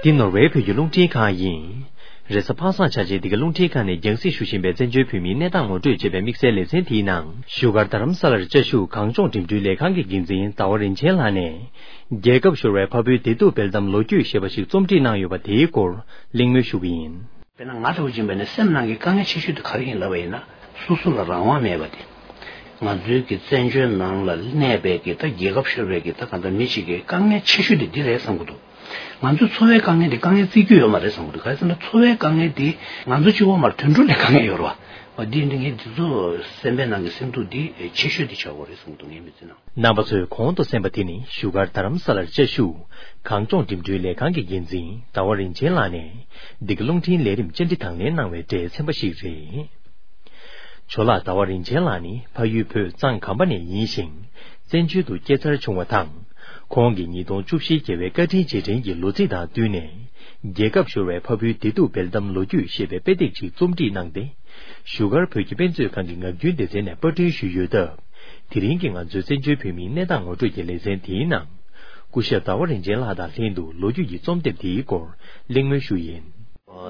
འདི་ནོར་ཝེ་བོད་ཀྱི་རླུང་འཕྲིན་ཁང་ཡིན། རེས་གཟའ་པ་སངས་ཆ་ཅན་འདི་ག་རླུང་འཕྲིན་ཁང་ནས་རྒྱང་སྲིང་ཞུ་བཞིན་པའི་བཙན་བྱོལ་བོད་མིའི་གནས་སྟངས་ངོ་སྤྲོད་ཅེས་པའི་དམིགས་བསལ་ལེ་ཚན་དེའི་ནང་བཞུགས་སྒར་རྡ་རམ་ས་ལར་བཅའ་བཞུགས་གངས་ལྗོངས་འགྲིམ་འགྲུལ་ལས་ཁང་གི་འགན་འཛིན་ཟླ་བ་རིན་ཆེན་ལགས་ནས། རྒྱལ་ཁབ་ཤོར་བའི་ཕ་བུའི་བདེ་སྡུག་སྤེལ་གཏམ་ལོ་རྒྱུས་ཞེས་པ་ཞིག་རྩོམ་སྒྲིག་གནང་ཡོད་པ་དེའི་སྐོར་གླེང་མོལ་ཞུ་གི་ཡིན། དཔེར་ན་ང་ལྟ་བུ་ཡིན་པ་ནི་སེམས་ནང་གི་དཀའ་ངལ་ཆེ་ཤོས་དེ་ག་རེ་ཡིན་ལབ་པ་ཡིན་ན། སོ་སོ་ལ་རང་དབང་མེད་པ་དེ། ང་ཚོའི་གི་བཙན་བྱོལ་ནང་ལ་གནས་པའི་གི་ད་རྒྱལ་ཁབ་ཤོར་བའི་གི་ད་གང་ལྟར་མི་ཞིག་གི་དཀའ་ངལ་ཆེ་ཤོས་དེ་འདི་རེད་བསམ་གི་འདུག་ང་ཚོའི་འཚོ་བའི་དཀའ་ངལ་འདི་དཀའ་ངལ་བརྩི་རྒྱུ་ཡོད་མ་རེད་བསམ་གི་འདུག་ག་རེ་ཟེར་ན་འཚོ་བའི་དཀའ་ངལ་འདི་ང་ཚོ་གཅིག་པོ་མར་དུད་འགྲོ་ལས་དཀའ་ངལ་ཡོད་རེད་བ། འོ་འདི་འདི་ངས་འདི་ཚོ་སེམས་པའི་ནང་གི་སེམས་སྡུག་འདི་ཆེ་ཤོས་འདི་ཆགས་དགོས་རེད་བསམ་གི་འདུག་ངའི་མི་ཚེ་ནང་། རྣམ་པ་ཚོས་གོང་དུ་གསན་པ་དེ་ནི་བཞུགས་སྒར་རྡ་རམ་ས་ལར་བཅའ་བཞུགས་གངས་ལྗོངས་འགྲིམ་འགྲུལ་ལས་ཁང་གི་འགན་འཛིན་ཟླ་བ་རིན་ཆེན་ལགས་ནས་འདི་ག་རླུང་འཕྲིན་ལས་རིམ་བཅར་འདྲི་དང་ལེན་གནང་བའི་སྒྲའི་ཚན་པ་ཞིག་རེད། ཇོ་ལགས་ཟླ་བ་རིན་ཆེན་ལགས་ནི་ཕ་ཡུལ་བོད་གཙང་གམ་པ་ནས་ཡིན་ཞིང་། བཙན་བྱོལ་དུ་སྐྱེས་འཚར་བྱུང་བ་དང་། ཁོང་གིས་ཉིས་སྟོང་བཅུ་བཞིའི་རྒྱལ་བའི་བཀའ་དྲིན་རྗེས་དྲན་གྱི་ལོ་ཚིགས་དང་བསྟུན་ནས། རྒྱལ་ཁབ་ཤོར་བའི་ཕ་བུའི་བདེ་སྡུག་སྤེལ་གཏམ་ལོ་རྒྱུས་ཞེས་པའི་དཔེ་དེབ་ཅིག་རྩོམ་སྒྲིག་གནང་སྟེ། བཞུགས་སྒར་བོད་ཀྱི་དཔེ་མཛོད་ཁང་གི་ངག་རྒྱུན་སྡེ་ཚན་ནས་པར་སྐྲུན་ཞུས་ཡོད་སྟབས། དེ་རིང་གི་ང་ཚོའི་བཙན་བྱོལ་བོད་མིའི་གནས་སྟངས་ངོ་སྤྲོད་ཀྱི་ལེ་ཚན་དེའི་ནང་། སྐུ་ཞབས་ཟླ་བ་རིན་ཆེན་ལགས་དང་ལྷན་དུ་ལོ་རྒྱུས་ཀྱི་རྩོམ་དེབ་དེའི་སྐོར་གླེང་མོལ་ཞུས་ཡིན།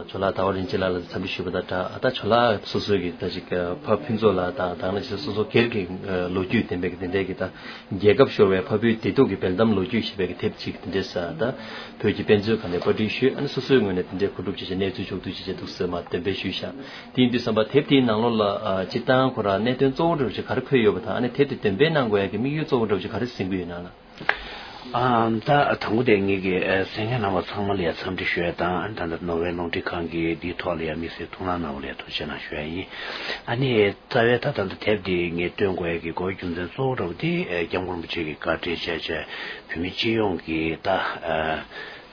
ཇོ་ལགས་ཟླ་བ་རིན་ཆེན་ལགས་ལ་འཚམས་འདྲི་ཞུས་པ་དང་སྦྲགས། ཨ་ད་ཇོ་ལགས་སོ་སོའི་གི་ད་ཅིག་ཕ་ཕུན་ཚོགས་ལགས་དང་དང་ན་ཅིག་སོ་སོ་སྒེར་གྱི་ལོ་རྒྱུས་ལྡན་པའི་གི་དེ་འདྲའི་གི་ད་རྒྱལ་ཁབ་ཤོར་བའི་ཕ་བུའི་བདེ་སྡུག་གི་སྤེལ་གཏམ་ལོ་རྒྱུས་ཞེས་པའི་གི་དེབ་ཅིག་དེ་འདྲའི་ས་ད་བོད་ཀྱི་དཔེ་མཛོད་ཁང་ནས་པར་སྐྲུན་ཞུས། ཨ་ནི་སོ་སོའི་ངོས་ནས་དེ་འདྲའི་གོ་སྒྲུབ་བྱས་བྱས་གནས་ཚུལ་ཕྱོགས་བསྡུས་བྱས་བྱས་འདུག་ཟེར་མ་འདོན་སྤེལ་ཞུས་ཤག་དེ་ཡིན་དུས་ཙམ་པ་དེབ་དེའི་ནང་ལོགས་ལ་ཨ་སྤྱིར་བཏང་ཁོ་རང་གནད་དོན་གཙོ་བོ་འདྲ་བོ་ཅིག་ག་རེ་འཁོད་ཡོད་པ་དང་། ཨ་ནི་དེབ་དེ་འདོན་སྤེལ་གནང་དགོས་ཡ་གི་དམིགས་ཡུལ་གཙོ་བོ་འདྲ་བོ་ཅིག་ག་རེ་འཛིན་གྱི་ཡོད་ན་ལ། ཨ་ད་དང་པོ་དེ་ངེད་ཀྱི་ཨ་གསན་མཁན་རྣམ་པ་ཚང་མ་ལ་ཡ་འཚམས་འདྲི་ཞུ་ཡ་དང་། ཨ་ནི་ད་ལྟ་ནོར་ཝེ་རླུང་འཕྲིན་ཁང་གི་འདིའི་ཐོག་ལ་ཡ་དམིགས་བསལ་ཐུགས་སྣང་གནང་བ་ལ་ཡ་ཐུགས་རྗེ་གནང་ཞུ་ཡ་ཡིན། ཨ་ནི་རྩ་བའི་ད་ད་ལྟ་དེབ་འདི་ངས་བཏོན་དགོས་ཡ་གི་གོ་རྒྱུ་མཚན་གཙོ་བོ་འདྲ་བོ་དེ་ཨ་སྐྱབས་མགོན་རིན་པོ་ཆེ་གི་བཀའ་དྲིན་བྱས་བྱས་བོད་མི་སྤྱི་ཡོངས་ཀྱི་ད་ཨ་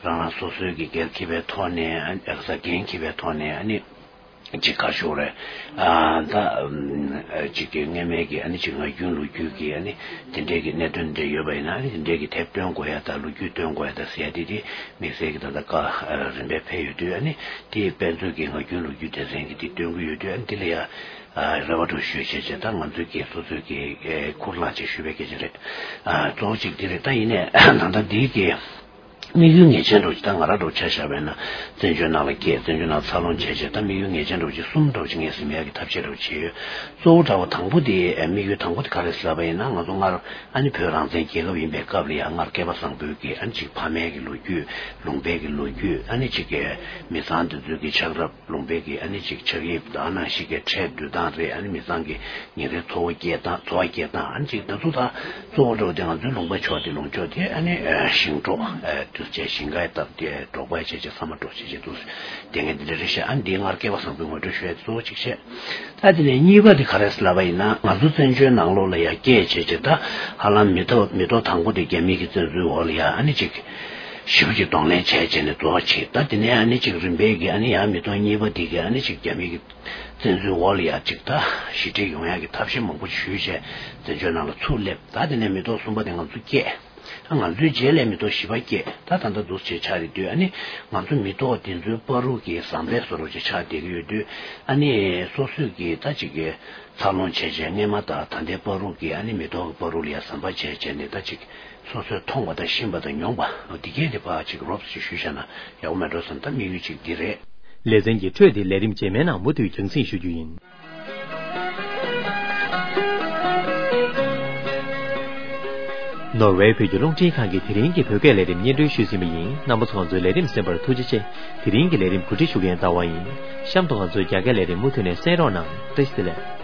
རང་རང་སོ་སོའི་གི་སྒེར་གྱི་པའི་ཐོག་ནས། ཨ་ནི་ཨ་ས་འགན་གྱི་པའི་ཐོག་ནས། ཨ་ནི། ཅིག་ག་ཞོག་རེད། ཨ་ད་ཨམ་ཅིག་གི་སྔོན་མའི་གི་ཨ་ནི་ཅིག་ངག་རྒྱུན་ལོ་རྒྱུས་ཀྱི་ཨ་ནི་དེ་འདྲའི་གི་གནད་དོན་འདྲ་ཡོད་པ་ཡིན་ན། ཨ་ནི་དེ་འདྲའི་གི་དེབ་བཏོན་དགོས་ཡ་ད་ལོ་རྒྱུས་བཏོན་དགོས་ཡ་ད་ཟེར་ཡ་དེ་དེ་དམིགས་བསལ་གི་ད་ལྟ་བཀའ་རིམ་པས་ཕེབས་ཡོད་དུས། ཨ་ནི་དེ་དཔེ་མཛོད་ཀྱི་ངག་རྒྱུན་ལོ་རྒྱུས་སྡེ་ཚན་གི་དེ་བཏོན་གི་ཡོད་དུས། ཨ་ནི་དེ་ལ་ཡ་རེ་བ་འདྲ་ཞུས་བྱས་བྱས། ད་ང་ཚོའི་གི་སོ་སོའི་གི་ཁུར་བླངས་བྱས་ཞུས་པའི་སྐད་ཆ་རེད། ཨ་གཙོ་བོ་གཅིག་དེ་རེད། ད་ཡིན་ནའི་ད་ལྟ་འདི་གི་དམིགས་ཡུལ་ངེས་ཅན་འདྲ་བོ་ཅིག་ད་ང་རང་འདྲ་བོ་ཆ་བཞག་པ་ཡིན་ན། བཙན་བྱོལ་ནང་ལ་སྐྱེས། བཙན་བྱོལ་ནང་འཚར་ལོངས་བྱས་བྱས། ད་དམིགས་ཡུལ་ངེས་ཅན་འདྲ་བོ་ཅིག་གསུམ་འདྲ་བོ་ཅིག་ངས་ཟིན་ཡག་གི་ཐབས་ཤེས་འདྲ་བོ་བྱས་ཡོད། གཙོ་བོ་འདྲ་བོ་དང་པོ་དེ་ཨ་དམིགས་ཡུལ་དང་པོ་དེ་ག་རེ་ཟེར་ལབ་པ་ཡིན་ན། ང་ཚོ་སྔར་ཨ་ནི་བོད་རང་བཙན་རྒྱལ་ཁབ་ཡིན་པའི་སྐབས་ལ་ཡང་སྔར་སྐལ་པ་བཟང་པོའི་གི་ཨ་ནི་ཅིག་ཕ་མའི་གི་ལོ་རྒྱུས། ལུང་པའི་གི་ལོ་རྒྱུས། ཨ་ནི་ཅིག་གི་མི་ཚང་དེ་ཚོའི་གི་ཆགས་རབས། ལུང་པའི་གི་ཨ་ནི་ཅིག་ཆགས་དབྱིབས་དང་ནང་བཞིན་གི་ཁྲལ་བསྡུ་སྟངས་རེད། ཨ་ནི་མི་ཚང་གི་ཉིན་རེའི་འཚོ་བ་སྐྱེལ་སྟངས། འཚོ་བ་སྐྱེལ་སྟངས། ཨ་ནི་ཅིག་ད་ཚོ་ད་གཙོ་བོ་འདྲ་བོ་དེ་ང་ཚོའི་ལུང་པ་ཕྱོགས་དེ། ལུང་ཕྱོགས་དེ་ཨ་ནི་ཨ་ཞིང་འབྲོག་ཨ་དུས་ཆེན་ཞིང་ཁ་བཏབ་སྟེ་འབྲོག་པ་བྱས་བྱས་ཚང་མ་འབྲོག་བྱས་བྱས་འདུག་དེ་ངས་འདི་འདྲ་རེད་ཤག་ཨ་ནི་འདི་སྔར་སྐལ་པ་བཟང་པོའི་ངོ་སྤྲོད་ཞུ་ཡ་གཙོ་བོ་གཅིག་བྱས། ད་དེ་ནས་གཉིས་པ་དེ་ག་རེ་ཟེར་ལབ་པ་ཡིན་ན། ང་ཚོ་བཙན་བྱོལ་ནང་ལོགས་ལ་ཡ་སྐྱེས་བྱས་བྱས་ད་ཧ་ལམ་མི་ཐོག་མི་ཐོག་དང་པོ་དེ་རྒྱ་མི་གི་བཙན་འཛུལ་འོག་ལ་ཡ་ཨ་ནི་ཅིག་ཞེ་པོ་ཅིག་གདོང་ལེན་བྱས་བྱས་ནས་རྫོགས་བྱས། ད་དེ་ནས་ཨ་ནི་ཅིག་རིམ་པས་ཀྱི་ཨ་ནི་ཡང་མི་ཐོག་གཉིས་པ་དེ་གི་ཨ་ནི་ཅིག་རྒྱ་མི་གི་བཙན་འཛུལ་འོག་ལ་ཡ་ཅིག་ད་ཞི་འགྲིག་ཡོང་ཡག་གི་ཐབས་ཤེས་མང་པོ་ཞུས་བྱས་བཙན་བྱོལ་ནང་ལ་ཚུར་སླེབས། ད་དེ་ནས་མི་ཐོག་གསུམ་པ་དེ་ང་ཚོ་སྐྱེས། ད་ང་ཚོའི་རྗེས་ལ་མི་ཐོག་བཞི་པ་སྐྱེས། ད་ད་ལྟ་འདུག་སེ་ཆགས་རེད་དུས། ཨ་ནི་ང་ཚོ་མི་ཐོག་དེ་ཚོའི་བར་དུ་གི་ཟམ་པའི་བཟོ་འདྲ་ཅིག་ཆགས་བསྡད་ཀྱི་ཡོད་དུས། ཨ་ནི་སོ་སོས་ཀྱི་ད་ཅིག་གི་འཚར་ལོངས་བྱས་བྱས་སྔས་མ་དང་ད་ལྟའི་བར་དུ་གི་ཨ་ནི་མི་ཐོག་གི་བར་དུ་ལ་ཡ་ཟམ་པ་བྱས་བྱས་ནས་ད་ཅིག་སོ་སོས་མཐོང་བ་དང་ཤེས་པ་དང་མྱོང་བ་འདི་གས་དེ་ཕར་ཅིག་རོབ་ཙམ་ཞུས་བཞག་ན་ཡག་པོ་མེད་འགྲོ་བསམ། ད་དམིགས་ཡུལ་ཅིག་འདི་རེད། ལེ་ཚན་གྱི་འཕྲོས་དེ་ལས་རིམ་རྗེས་མའི་ནང་མུ་མཐུད་རྒྱང་སྲིང་ཞུ་རྒྱུ་ཡིན། ནོར་ཝེ་བོད་ཀྱི་རླུང་འཕྲིན་ཁང་གི་དེ་རིང་གི་བོད་སྐད་ལས་རིམ་སྙན་སྒྲོན་ཞུས་ཟིན་པ་ཡིན། རྣམ་པ་ཚོ་ང་ཚོའི་ལས་རིམ་གསན་པར་ཐུགས་རྗེ་ཆེ། དེ་རིང་གི་ལས་རིམ་གོ་སྒྲིག་ཞུ་མཁན་ཟླ་བ་ཡིན། གཤམ་དུ་ང་ཚོའི་རྒྱ་སྐད་ལས་རིམ་མུ་མཐུད་ནས་གསན་རོགས་གནང་། བཀྲ་ཤིས་བདེ་ལེགས།